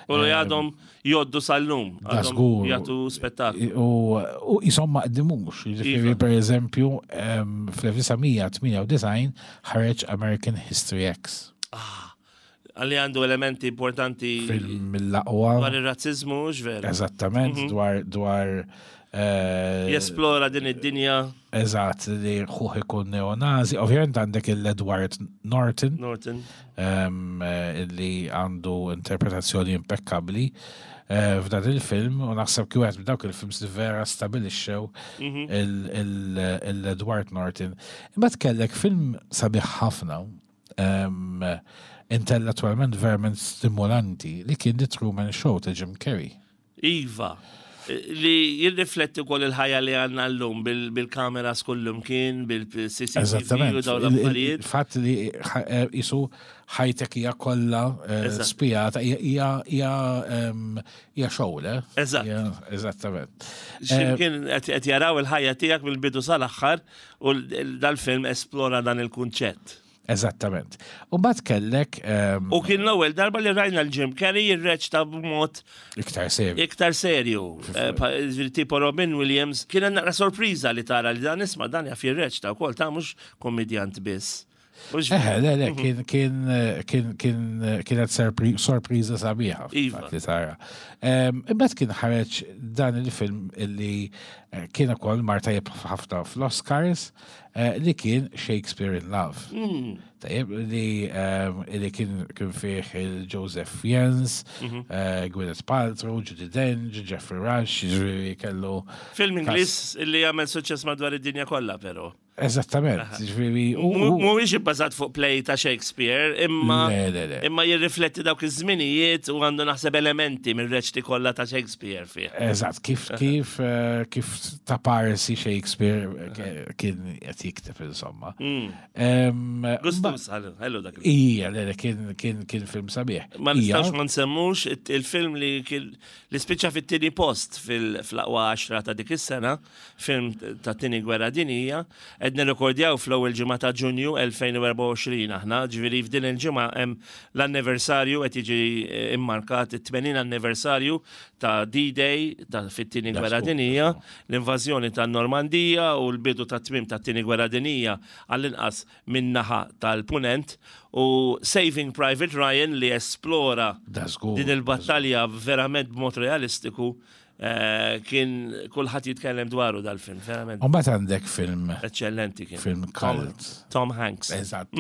U li għadhom jgħoddu sal-lum. Da Għadhom żgur. jagħtu spettaklu. U u jisom ma qdimux. Jiġifieri, Iva. per eżempju, em, fl-elf disa' mija tmienja u disgħin ħareġ American History X. Għalli għandu elementi importanti Film mill-aqwa. dwar ir-razzizmu, ġveru. Eżattament, dwar dwar eh, Jesplora din id-dinja. Eżatt, li ħuħ ikun neonazi. Ovvjament għandek il-Edward Norton, Norton. um, li għandu interpretazzjoni impeccabli eh, f'dan il-film, u naħseb kif wieħed dawk il-films li vera stabilixxew il-Edward Norton. Imma tkellek film sabiħ ħafna, um, intellettualment verament stimolanti, li kien The Truman Show ta' Jim Carrey. Iva, li jirrifletti wkoll il-ħajja li għandna llum bil-kameras kullum kien, bil-C C T V Eżattament. u dawn Il- il- l-affarijiet. Il-fatt li ħa- eh, jisu ħajtek hija kollha eh, Eżatt. spijata hija hija hija em, hija show, le? Eżatt. Hija- Eżattament. Ximkien qed qed jaraw il-ħajja tiegħek mill-bidu sal-aħħar u l- dal-film esplora dan il-kunċett. Eżattament. U mbagħad kellek em, U kien l-ewwel darba li rajna l-Jim Carrey jirreċta b'mod iktar serju. iktar serju. Eh, pa- ġifieri tipo Robin Williams, kien naqra sorpriża li tara li dan isma' dan jaf jirreċta wkoll, ta' mhux kommedjant biss. Mhux Eh, le, le, kien kien kien kien kienet sorpri- sorpriża sabiħa Iva. fil-fatt li tara. Em, Imbagħad kien ħareġ dan il-film illi eh, kien ukoll mar tajjeb ħafna fl-Oscars, eh, li kien Shakespeare in Love. Tajjeb, li em, li kien kien fih il-Joseph Fiennes, eh, Gwyneth Paltrow, Judi Dench, Jeffrey Rush, ġifieri kellu Film Ingliż li jagħmel suċċess madwar id-dinja kollha però. Eżattament, ġifieri. u- u- Mhuwiex ibbażat fuq play ta' Shakespeare, imma Le, le, le. imma jirrifletti dawk iż-żminijiet u għandu naħseb elementi mir-reċti kollha ta' Shakespeare fih. Eżatt, kif kif eh, kif ta' parsi Shakespeare eh, kien qed jikteb insomma. Em, Gustus, ħallu dak il- Ija, le, le, kien kien kien film sabiħ. Ma Ija, nistawx ma nsemmux it- il-film li kien li spiċċa fit-tieni post fil-aqwa għaxra ta' dik is-sena, film ta' tieni gwerra dinija, qed nirrekordjaw fl-ewwel ġimgħa ta' Ġunju elfejn u erbgħa u għoxrin aħna, ġifieri f'din il-ġimgħa hemm l-anniversarju qed jiġi eh, immarkat it-tmenin anniversarju ta' D-Day ta' fit-tieni gwerra That's cool, dinija, l-invażjoni ta' Normandija u l-bidu ta' tmim ta' tieni gwerra dinija għall-inqas min-naħa tal-punent u Saving Private Ryan li esplora That's good. din il-battalja verament b'mod realistiku eh, kien kulħadd jitkellem dwaru dal-film, verament U mbagħad għandek film eccellenti kien. film Tom, cult. Tom Hanks. Eżatt,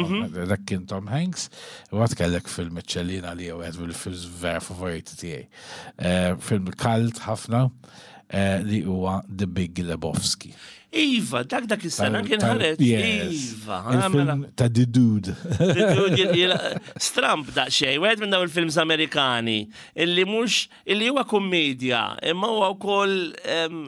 dak kien Tom Hanks. U għad kellek film eċċellina li għed bil-films vera favoriti tiegħi. Eh, Film cult ħafna eh, li huwa The Big Lebowski. Iva, dak dak is-sena kien Tal- ħareġ. Yes. Iva, ah, mela. Il-film ta' The Dude. Stramp daqsxejn, wieħed minn daw il-films Amerikani, illi mhux illi huwa kommedja, imma huwa wkoll em,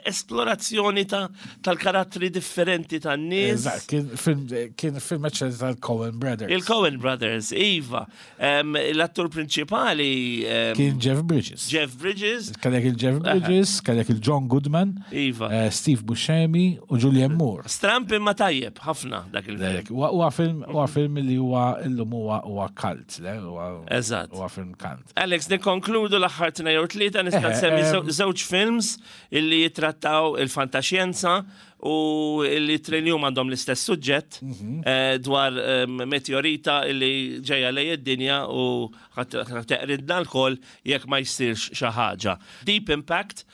esplorazzjoni ta' tal-karattri differenti tan-nies. Eżatt, kien film kien film eċċellenti tal-Coen Brothers. Il-Coen Brothers, Iva. Em, L-attur prinċipali em, Kien Jeff Bridges. Jeff Bridges, Kellek il-Jeff Bridges, kellek il-John Goodman, Iva. eh, Steve Buscemi u Julianne Moore. Stramp imma tajjeb, ħafna dak il-film. Lek, Huwa huwa film huwa film li huwa illum huwa huwa cult, le? Huwa Eżatt. Huwa film cult. Alex, nikkonkludu l-aħħar tnejn jew tlieta nista' Eh, nsemmi em. żew- żewġ films illi jitrattaw il-fantaxjenza u illi tnejn għandhom l-istess suġġett Mhm. eh, dwar em, meteorita illi ġejja lej id-dinja u ħa teqridna lkoll jekk ma jsirx xi ħaġa. Deep Impact,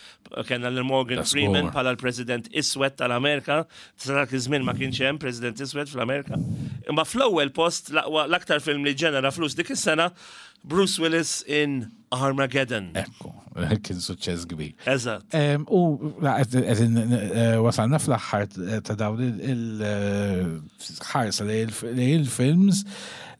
kellna lil Morgan That's Freeman gore. bħala l-President Iswed tal-Amerika, sa dak iż-żmien ma kienx hemm President Iswed fl-Amerika. Imma fl-ewwel post l-aqwa l-aktar film li ġenera flus dik is-sena Bruce Willis in Armageddon. Ekku, kien suċċess kbir. Eżatt. Em, U la, qed- qed eh, wasalna fl-aħħar ta' dawn il-ħarsa li il-films.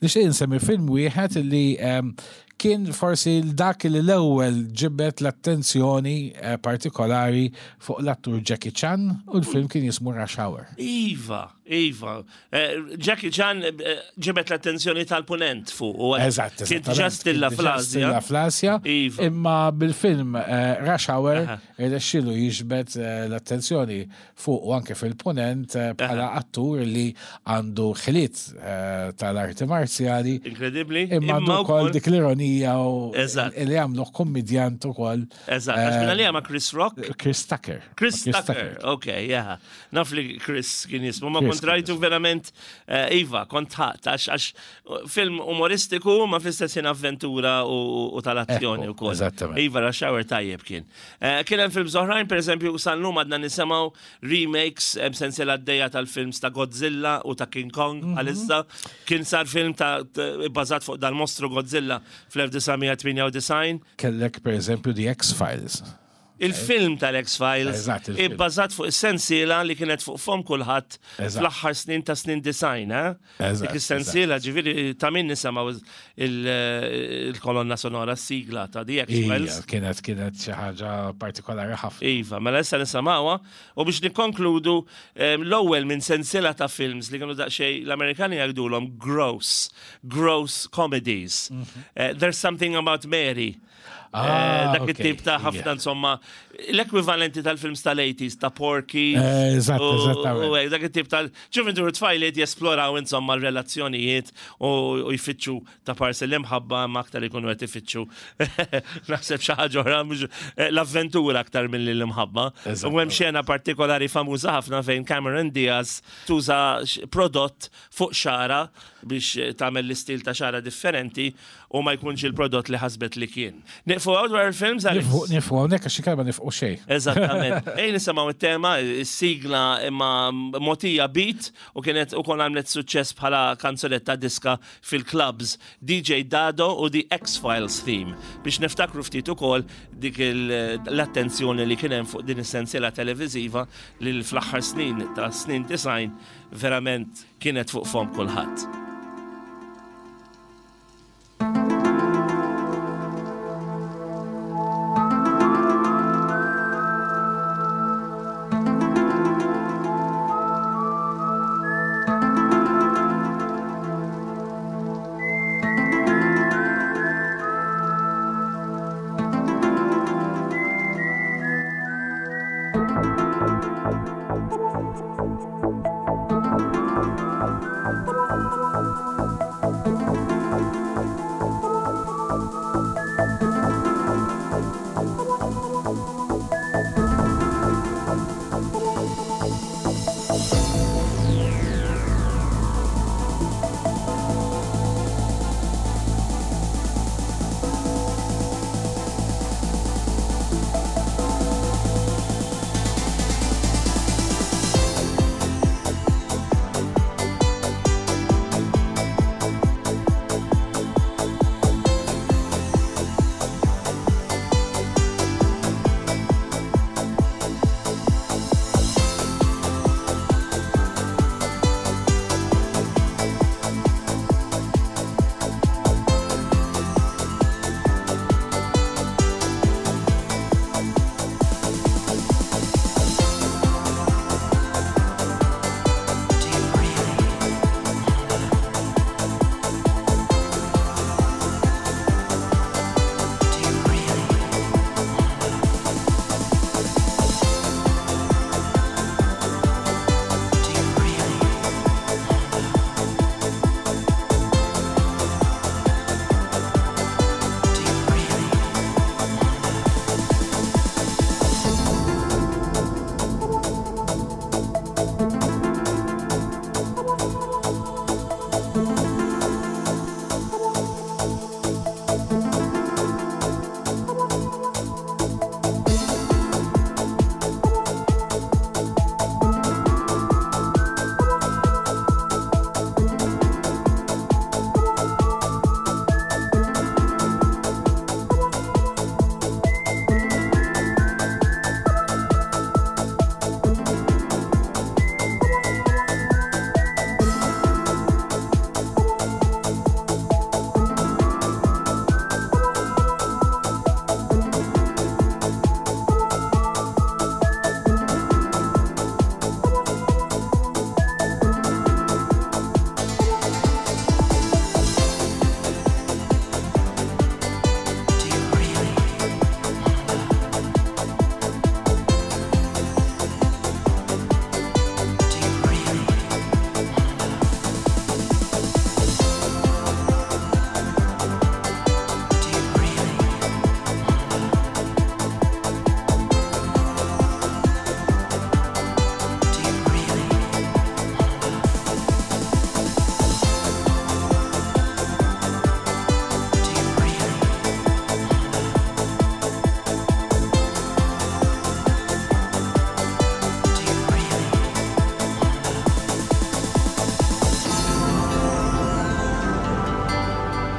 Nixtieq insemmi film wieħed li em, kien forsi dak li l-ewwel ġibet l-attenzjoni eh, partikolari fuq l-attur Jackie Chan u l-film kien jismu Rush Hour. Iva, Iva. Eh, Jackie Chan eh, ġibet l-attenzjoni tal-punent fuq. u Eżatt, Kien eżattament. diġà stilla Kien diġà fl-Asja. stilla fl-Asja. Iva. Imma bil-film eh, Rush Hour Aha. irnexxielu jiġbed eh, l-attenzjoni fuq u anke fil-punent eh, bħala attur li għandu ħiliet eh, tal-arti marzjali. Inkredibbli. Imma għandu wkoll dik l-ironija u Eżatt. li għamlu kommedjant ukoll. Eżatt, għax minna li għama Chris Rock. Chris Tucker. Chris Tucker, ok, yeah. Naf li Chris kien jismu, ma Chris kont rajtu verament, eh, Iva, kont ħadd, għax għax film umoristiku ma fl-istess ħin avventura u, u tal-azzjoni Ekku, u koll. eżattament. Iva, Rush Hour tajjeb kien. Eh, Kien hemm films oħrajn, per eżempju, sal-lum għadna nisimgħu remakes hemm sensiela għaddejja tal-films ta' Godzilla u ta' King Kong Mhm. għalissa. Kien sar film ta' ta' bbażat fuq dal-mostru Godzilla fl-elf disa' mija tmienja u disgħin. Kellek per eżempju The X-Files. Il-film tal-X-Files Eżatt, il-film. ibbażat fuq is-sensiela li kienet fuq fom kulħadd Eżatt. fl-aħħar snin ta' snin design, eh? Eżatt, Dik is-sensiela ġifieri ta' min nisimgħu il- il-kolonna sonora s-sigla ta' The Ija, X-Files. kienet kienet xi ħaġa partikolari ħafna. Iva, mela issa nisimgħuha u biex nikkonkludu em, l-ewwel minn sensiela ta' films li kienu daqsxejn l-Amerikani jgħidulhom gross, gross comedies. Eh, There's Something About Mary. Mhm. Ah, Eh, dak ok, it-tip ta' ħafna yeah. insomma l-ekwivalenti tal-films tal-eighties ta' Porky. Eh, eżatt, u- eżattament. U hekk, dak it-tip tal ġuventur tfajliet jesploraw insomma r-relazzjonijiet u u jfittxu ta' parsi l-imħabba ma aktar ikunu qed ifittxu. Naħseb xi ħaġa oħra mhux- eh, l-avventura aktar milli l-imħabba. Eżatt. U hemm xena partikolari famuża ħafna fejn Cameron Diaz tuża x- prodott fuq xara biex eh, tagħmel l-istil ta' xara differenti u ma jkunx il-prodott li ħasbet li kien. Nieqfu hawn dwar il-films, Alex? Nieqfu hawnhekk għax inkella nifqu nafqu xejn. Eżattament. Ej nisimgħu it-tema, is-sigla imma mogħtija beat u kienet ukoll għamlet suċċess bħala kanzunetta diska fil-clubs D J Dado u The X-Files theme, biex niftakru ftit ukoll dik l-attenzjoni li kien hemm fuq din is-sensiela televiżiva li fl-aħħar snin ta' snin disgħin verament kienet fuq fomm kulħadd.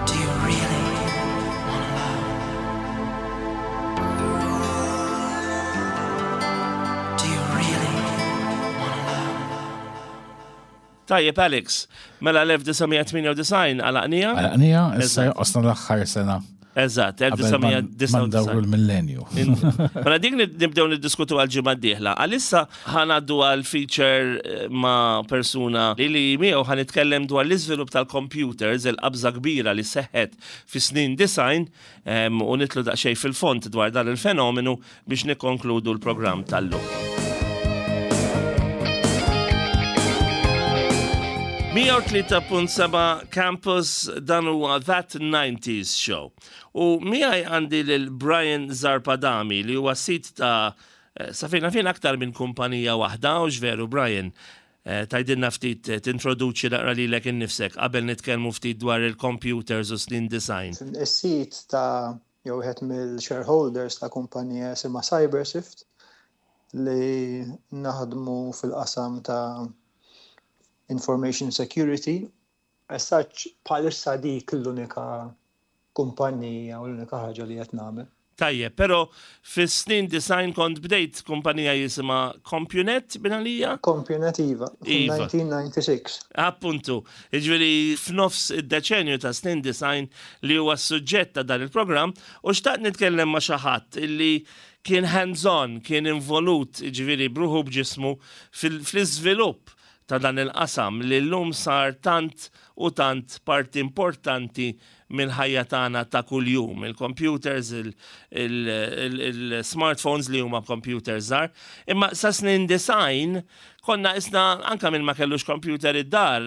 Do you really wanna love? Do you really wanna love? Tajjeb, Alex, mela elf disa' mija tmienja u disgħin għalaqnieha? Għalaqnieha, issa jonqosna l-aħħar sena. Eżatt, Qabel ma ndawru elf disa' mija disgħa u disgħin. l-millenju. Mela dik nibdew niddiskutu għal ġimgħa d-dieħla. Għalissa ħa ngħaddu għal feature eh, ma' persuna li li miegħu ħa nitkellem dwar l-iżvilupp tal-computers, il-qabża kbira li seħħet fi snin disgħin em, u nidħlu daqsxejn fil-fond dwar dan il-fenomenu biex nikkonkludu l-programm tal-lum. mija u tlieta punt seba' Campus, dan huwa That nineties Show. U miegħi għandi lil Brian Zarpadami li huwa sid ta' eh, safina fejn aktar minn kumpanija waħda, u veru, Brian? Eh, Tgħidilna ftit, eh, tintroduċi naqra lilek innifsek qabel nitkellmu ftit dwar il-computers u snin disgħin. Is-sid ta' jew wieħed mill-shareholders ta' kumpanija jisimha CyberSift li naħdmu fil-qasam ta' information security. As such, bħalissa dik l-unika kumpanija u l-unika ħaġa li qed nagħmel. Tajjeb, pero fis-snin disgħin kont bdejt kumpanija jisimha CompuNet binalija? CompuNet, iva, Iva. fil-elf disa' mija u disgħa u disgħin. Appuntu, ġifieri f'nofs id-deċenju ta' snin disgħin li huwa s-suġġett ta' dan il-programm u xtaqt nitkellem ma' xi ħadd illi kien hands-on, kien involut, ġifieri bruħu b'ġismu fil- fl-iżvilupp ta' dan il-qasam li l-lum sar tant u tant parti importanti mill-ħajja tagħna ta' kuljum. Il-computers, il-smartphones li huma computers żgħar. Imma sa snin disgħin konna isna anka minn ma kellux computer id-dar,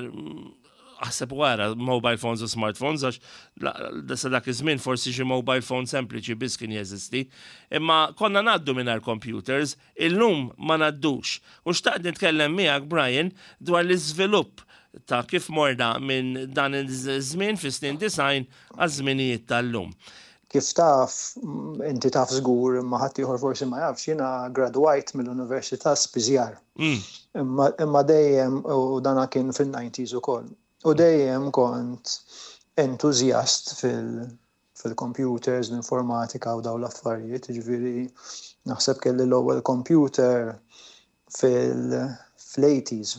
aħseb wara mobile phones u smartphones, għax la- sa dak iż-żmien forsi xi mobile phone sempliċi biss kien jeżisti. Imma konna ngħaddu mingħajr computers, illum ma ngħaddux. U xtaqt nitkellem miegħek, Brian, dwar l-iżvilupp ta' kif morna minn dan iż-żmien fi snin disgħin għaż-żminijiet tal-lum. Kif taf, m, inti taf żgur, imma ħadd ieħor forsi ma jafx, jiena gradwajt mill-Università Spiżjar. Mm. Imma, imma dejjem, u dana kien fil-disgħinijiet ukoll, u dejjem kont entużjast fil- fil-computers, l-informatika u daw l-affarijiet, ġifieri naħseb kelli l-ewwel computer fil- fl-eighties,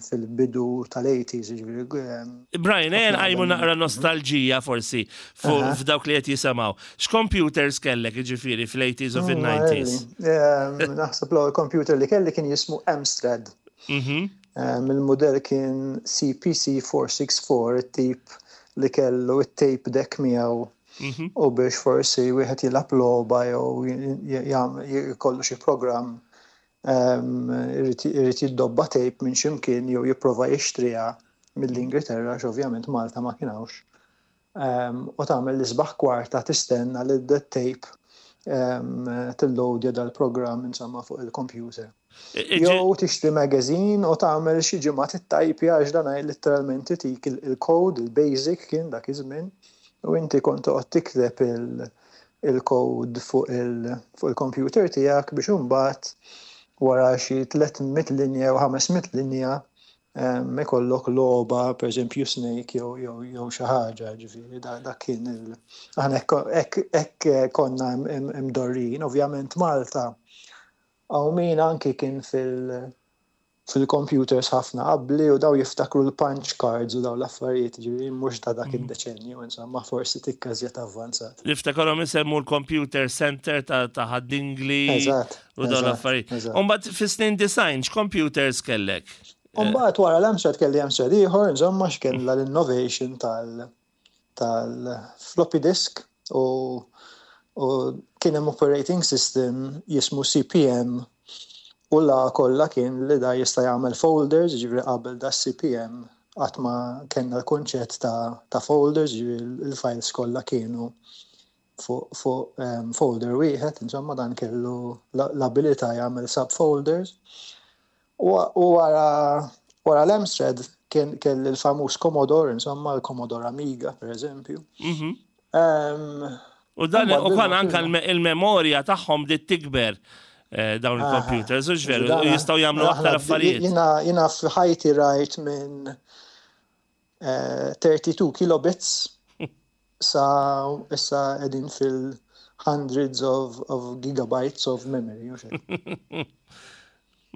fil-bidu tal-eighties, ġifieri. em, Brian, ejja nqajmu qabel- naqra nostalġija forsi fu- Aha. f'dawk li qed jisimgħu. X'computers kellek, ġifieri, fl-eighties u fil-nineties? Em, Naħseb l-ewwel computer li kelli kien jismu Amstrad. Mhm. Um, Il-modell kien C P C four six four, it-tip li kellu it-tape deck miegħu Mhm. u biex forsi wieħed jilgħab logħba jew jam- jkollu xi programm um, irid irid jiddobba tape minn ximkien jew jipprova jixtriha mill-Ingilterra, għax ovvjament Malta ma kienx. Um, u tagħmel l-isbaħ kwarta tistenna li d-tape um, tillowdja dal-programm insomma fuq il-computer. Jew tixtri magazine u tagħmel xi ġimgħa tittajpja għax dan letteralment itik il-code, il-basic kien dak iż-żmien, u inti kont toqgħod tikteb il-code fuq il-computer tiegħek biex imbagħad wara xi tliet mitt linja u ħames mitt linja ikollok logħba, per eżempju Snake jew jew jew xi ħaġa, ġifieri dak kien il aħna hekk konna imdorrin. Ovvjament Malta hawn min anki kien fil- fil-computers ħafna qabli u daw jiftakru l-punch cards u daw l-affarijiet, ġifieri mhux ta' dak mhm. id-deċenju, insomma, forsi tikka żjed avvanzat. Niftakarhom isemmu l-computer center ta' Ħad-Dingli u daw l-affarijiet. Umbagħad fis-snin disgħin, x'computers kellek? Umbagħad wara l-Amstrad kelli Amstrad ieħor, insomma, x'kella l-innovation tal- tal-floppy disk u u kien hemm operating system jismu C P M u la kollha kien li da jista' jagħmel folders, ġifieri qabel da C P M qatt ma kellna l-kunċett ta', ta folders, ġifieri il-files kollha kienu fuq fu, um, folder wieħed, insomma dan kellu l-abilità jagħmel subfolders. U wara wara l-Amstrad kien kelli l-famuż Commodore, insomma l-Commodore Amiga, per eżempju. Mm -hmm. U dan u kan anka il-memorja tagħhom bdiet tikber eh, dawn il-computers, u veru, u jistgħu jagħmlu aktar affarijiet. Jiena f'ħajti rajt minn tlieta u tletin kilobits sa issa qegħdin fil-hundreds of, of gigabytes of memory.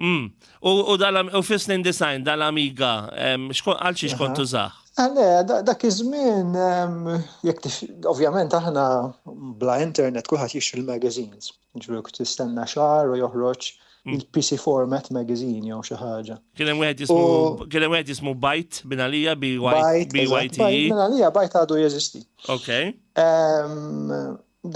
Mm. U, u, u fis-snin disgħin dal-Amiga, għal xiex kont tużah? Le, dak iż-żmien, jekk ovvjament aħna bla internet kulħadd jixtri l-magazines. Ġifieri tistenna xahar u joħroġ mm. il-P C format magazine jew xi ħaġa. Kien hemm wieħed jismu kien hemm wieħed jismu Byte mingħalija, B Y T E. Mingħalija Byte għadu jeżisti. Ok.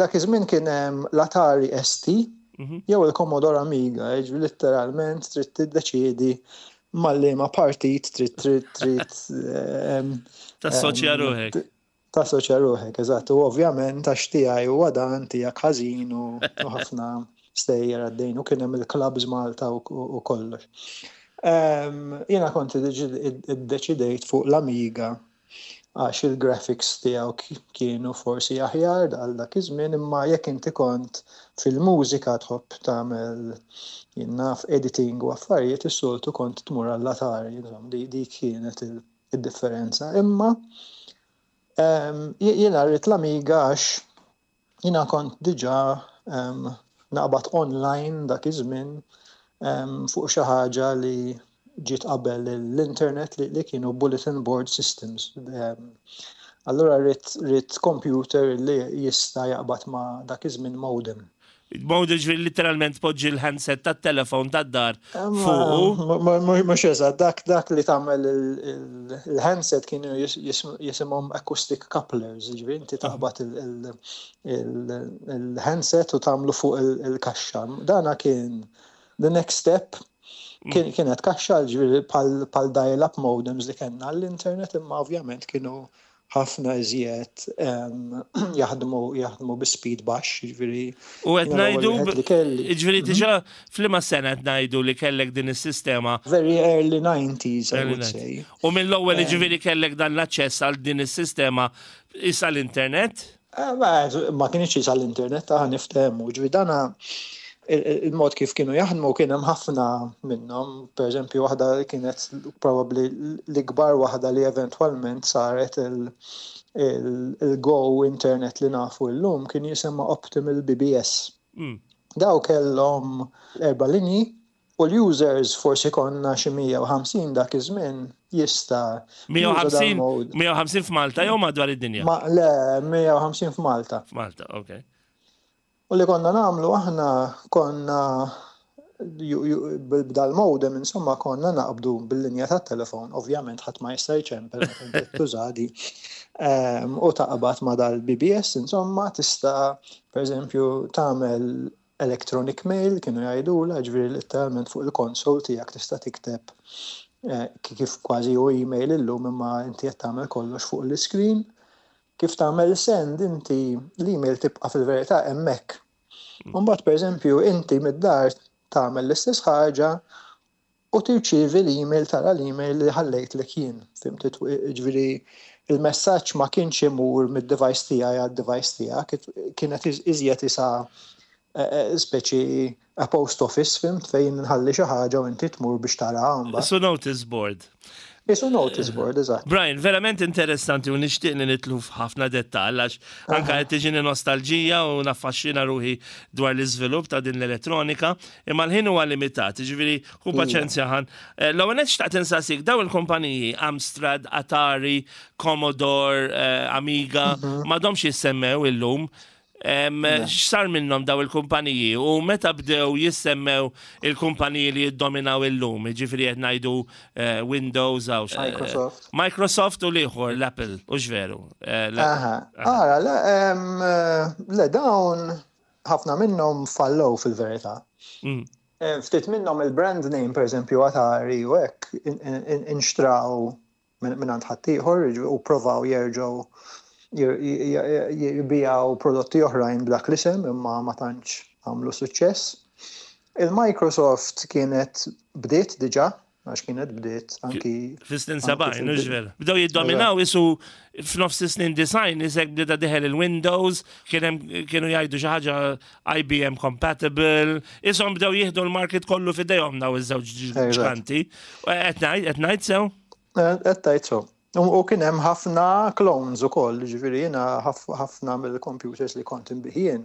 Dak iż-żmien kien hemm l-Atari S T mhm. jew il-Commodore Amiga, literalment trid tiddeċiedi mal-liema partit trid trid trid Tassoċja ruħek. Tassoċja ruħek, eżatt. U ovvjament għax tiegħi huwa dan, tiegħek ħażin u ħafna stejjer għaddejn u kien hemm il-clubs Malta u kollox. Jiena kont iddeċidejt fuq l-Amiga. Għax il-graphics tiegħu kienu forsi aħjar għal dak iż-żmien, imma jekk inti kont fil-mużika, tħobb tagħmel, jien naf, editing u affarijiet, is-soltu kont tmur għall-Atari, di dik kienet il-differenza. Imma jiena rrid l-Amiga għax jiena kont diġà naqbad online dak iż-żmien fuq xi ħaġa li ġiet qabel l-internet, li, li kienu bulletin board systems. Allura rrid computer li jista' jaqbad ma' dak iż-żmien modem. Modem, ġifieri literalment poġġi l-handset tat-telefon tad-dar fuqu. Mhux eżatt, dak dak li tagħmel il-handset kienu jisimhom acoustic couplers, ġifieri inti taqbad il-handset u tagħmlu fuq il-kaxxa. Dana kien the next step, kienet kaxxa, ġifieri bħal dial-up modems li kellna l-internet, imma ovvjament kienu ħafna iżjed jaħdmu jaħdmu bi speed baxx, ġifieri. U qed ngħidu, ġifieri diġà f'liema sena qed ngħidu li kellek din is-sistema? Very early nineties, I would say. U mill-ewwel, ġifieri, kellek dan l-aċċess għal din is-sistema issa l-internet? Eh, ma kienx issa l-internet, ta' niftehmu, ġifieri dana il-mod kif kienu jaħdmu kien hemm ħafna minnhom, pereżempju waħda kienet probabbli l-ikbar waħda li eventwalment saret il-Go internet li nafu llum, kien jisimha Optimal B B S. Mm. Daw kellhom erba' linji u l-users, forsi konna xi mija u ħamsin dak iż-żmien, jista' mija u ħamsin, mija u ħamsin f'Malta jew madwar id-dinja? Ma le, mija u ħamsin f'Malta. F'Malta, okay. U li konna nagħmlu aħna, konna b'dal-modem, insomma, konna naqbdu bil-linja tat-telefon, ovvjament ħadd ma jista' jċempel tużadi. U taqbad ma dal-B B S, insomma, tista' per eżempju tagħmel electronic mail, kienu jgħidula, ġifieri literalment fuq il-konsol tiegħek tista' tikteb eh, kif kważi u email illum, imma inti qed tagħmel kollox fuq l-screen. Kif tagħmel send inti, l-email tibqa' fil-verità hemmhekk. Mbagħad, pereżempju, inti mid-dar tagħmel l-istess ħaġa u tirċievi l-email, tara l-email li ħallejtlek jien. Fhimt, ġifieri il-messaġġ ma kienx imur mid-device tiegħi għad-device tiegħek, kienet iżjed isa eh, eh, speċi a post office, fhimt, fejn nħalli xi ħaġa u inti tmur biex tara. So notice board. Isu notice board, eżatt. Brian, verament interessanti u nixtieq li nidħlu f'ħafna dettall għax anka qed tiġini nostalġija u naffaxxina ruħi dwar l-iżvilupp ta' din l-elettronika, imma l-ħin huwa limitat, ġifieri ħu iva. paċenzja ħan. Eh, l-ewwel xtaqt insaqsik, daw il-kumpaniji Amstrad, Atari, Commodore, eh, Amiga, mhm. m'għadhomx jissemmew illum. X'sar minnhom daw il-kumpaniji u meta bdew jissemmew il-kumpaniji li jiddominaw illum, ġifieri qed ngħidu eh, Windows għaw eh, Microsoft. Microsoft u l-ieħor l-Apple, u veru? Eh, Aha, ara, le, dawn ħafna minnhom fallow fil-verità. Mm. Ftit minnhom il-brand name, per eżempju Atari u hekk, inxtraw minn għand ħaddieħor u provaw jerġgħu jbijaw prodotti oħrajn b'dak l-isem, imma ma tantx għamlu suċċess. Il-Microsoft kienet bdiet diġà, għax kienet bdiet anki. Fis-snin sebgħin, mhux vera? Bdew jiddominaw isu f'nofs snin disgħin, isek bdiet dieħel il-Windows, kienu jgħidu xi ħaġa I B M compatible, ishom bdew jieħdu l-market kollu f'idejhom daw iż-żewġ ġganti. Qed ngħid sew? Qed tgħid sew. U kien hemm ħafna clones ukoll, ġifieri jiena ħafna mill-computers li kont inbigħ jien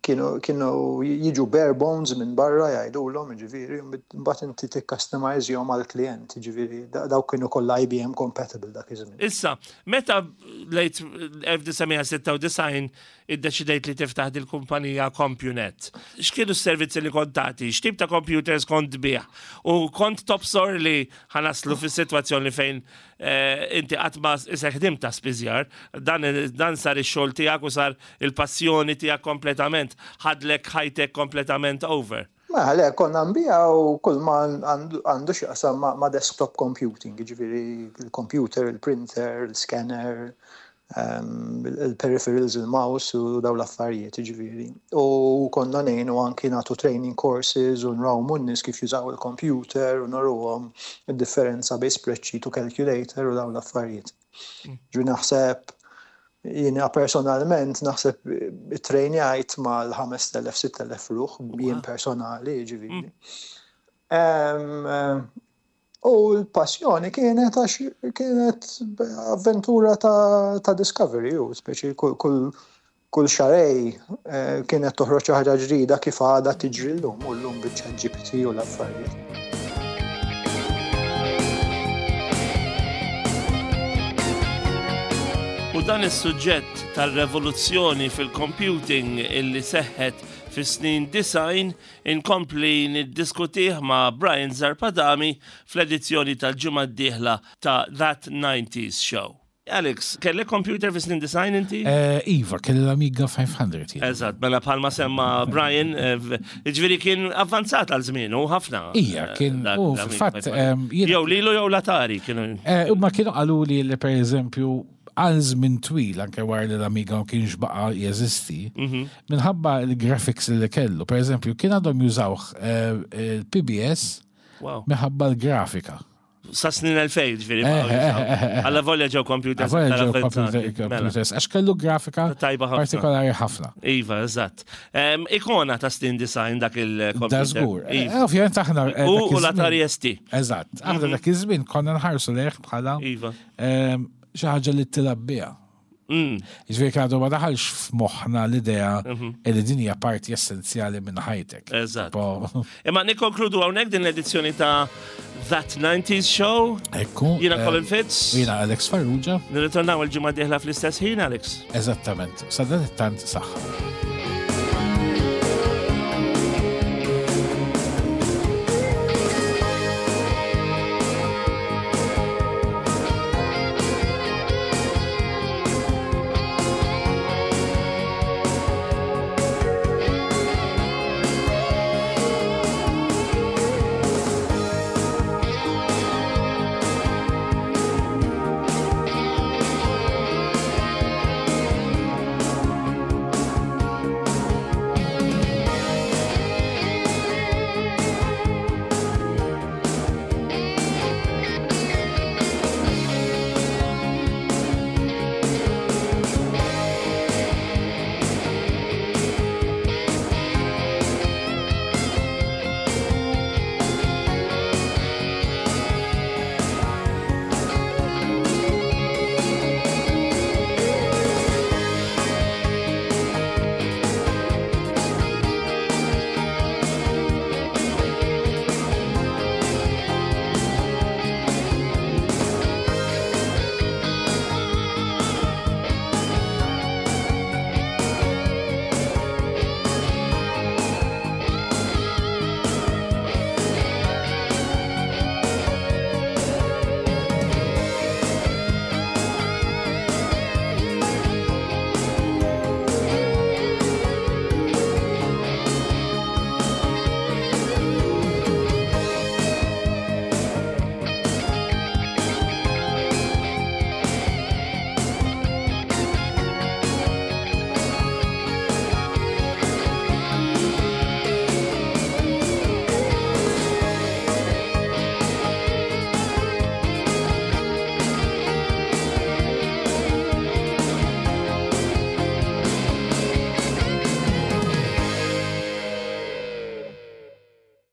kienu kienu jiġu bare bones minn barra jgħidulhom, ġifieri, mbagħad inti tikkastomajzjhom għall-klient, ġifieri dawk kienu kollha I B M compatible dak iż-żmien. Issa, meta late elf disa' mija sitta u disgħin iddeċidejt li tiftaħ dil-kumpanija CompuNet, x'kienu s-servizzi li kont tagħti? X'tip ta' computers kont tbigħ? U kont tobsor li ħa naslu fis-sitwazzjoni fejn eh, inti qatt ma isek ħdimt ta' spiżjar, dan, dan sar ix-xogħol tiegħek u sar il-passjoni tiegħek kompletament, ħadlek ħajtek kompletament over? Ma le, konna nbijaw kull ma għandu x'jaqsam ma, ma desktop computing, ġifieri il-computer, il-printer, il-scanner, Il-peripherals, il-mouse u daw l-affarijiet, ġifieri. U konna ngħinu anki nagħtu training courses u nrawmu n-nies kif jużaw il-computer u nuruhom id-differenza bejn spreadsheet u calculator u daw l-affarijiet. Ġu naħseb, jiena personalment naħseb trejnjajt mal-ħamest elef-sitt elef ruħ jien personali, ġifieri. Em, U l-passjoni kienet għax kienet avventura ta', ta' discovery, u speċi kull, kull, kull xahrejn eh, kienet toħroġ xi ħaġa ġdida kif għadha tiġri llum u llum biċ-Chat G P T u l-affarijiet. U dan is-suġġett tal-revoluzzjoni fil-computing illi seħħet fis-snin disgħin inkompli niddiskutih ma' Brian Zarb Adami fl-edizzjoni tal-ġimgħa d-dieħla ta' That nineties Show. Alex, kellek computer fis-snin disgħin inti? Eh, Iva, kelli l-Amiga ħames mija jien. Eżatt, mela bħalma semma Brian, eh, ġifieri kien avvanzat għal żmienu ħafna. Ija, kien, Eh, dak u l-Amiga fil-fatt, five hundred. em, jiena- Jew lilu jew l-Atari kienu. Eh, U ma kienu qalu li li per eżempju għal żmien twil anke wara li l-Amiga ma kienx baqa jeżisti, Mhm. minħabba il-graphics li kellu, per eżempju, kien għadhom jużawh eh, il-P B S Wow. minħabba l-grafika. Sa snin elfejn, ġifieri. Eh, eh, eh, eh, eh. Alla volja ġew computers. Għavolja ġew aktar avvanzati. computer- Mela. computers, għax kellu grafika Tajba ħafna. partikolari ħafna. Iva, eżatt. Em, Ikona ta' snin disgħin dak il-computer. Da żgur. Eh, Iva. Ovvjament aħna eh, U dak u l-Atari iż-żmien- S T. Eżatt. Aħna dak iż-żmien konna nħarsu lejh bħala Iva. em, xi ħaġa li tilgħab biha. Mm. Ġifieri għadu ma daħalx f'moħħna l-idea li din hija parti essenzjali minn ħajtek. Eżatt. Tipo, Imma nikkonkludu hawnhekk din l-edizzjoni ta' That nineties Show. Ekku. Jiena eh, Colin Fitz. Jiena Alex Farrugia. Nirritornaw il-ġimgħa dieħla fl-istess ħin, Alex. Eżattament. Sadanittant saħħa.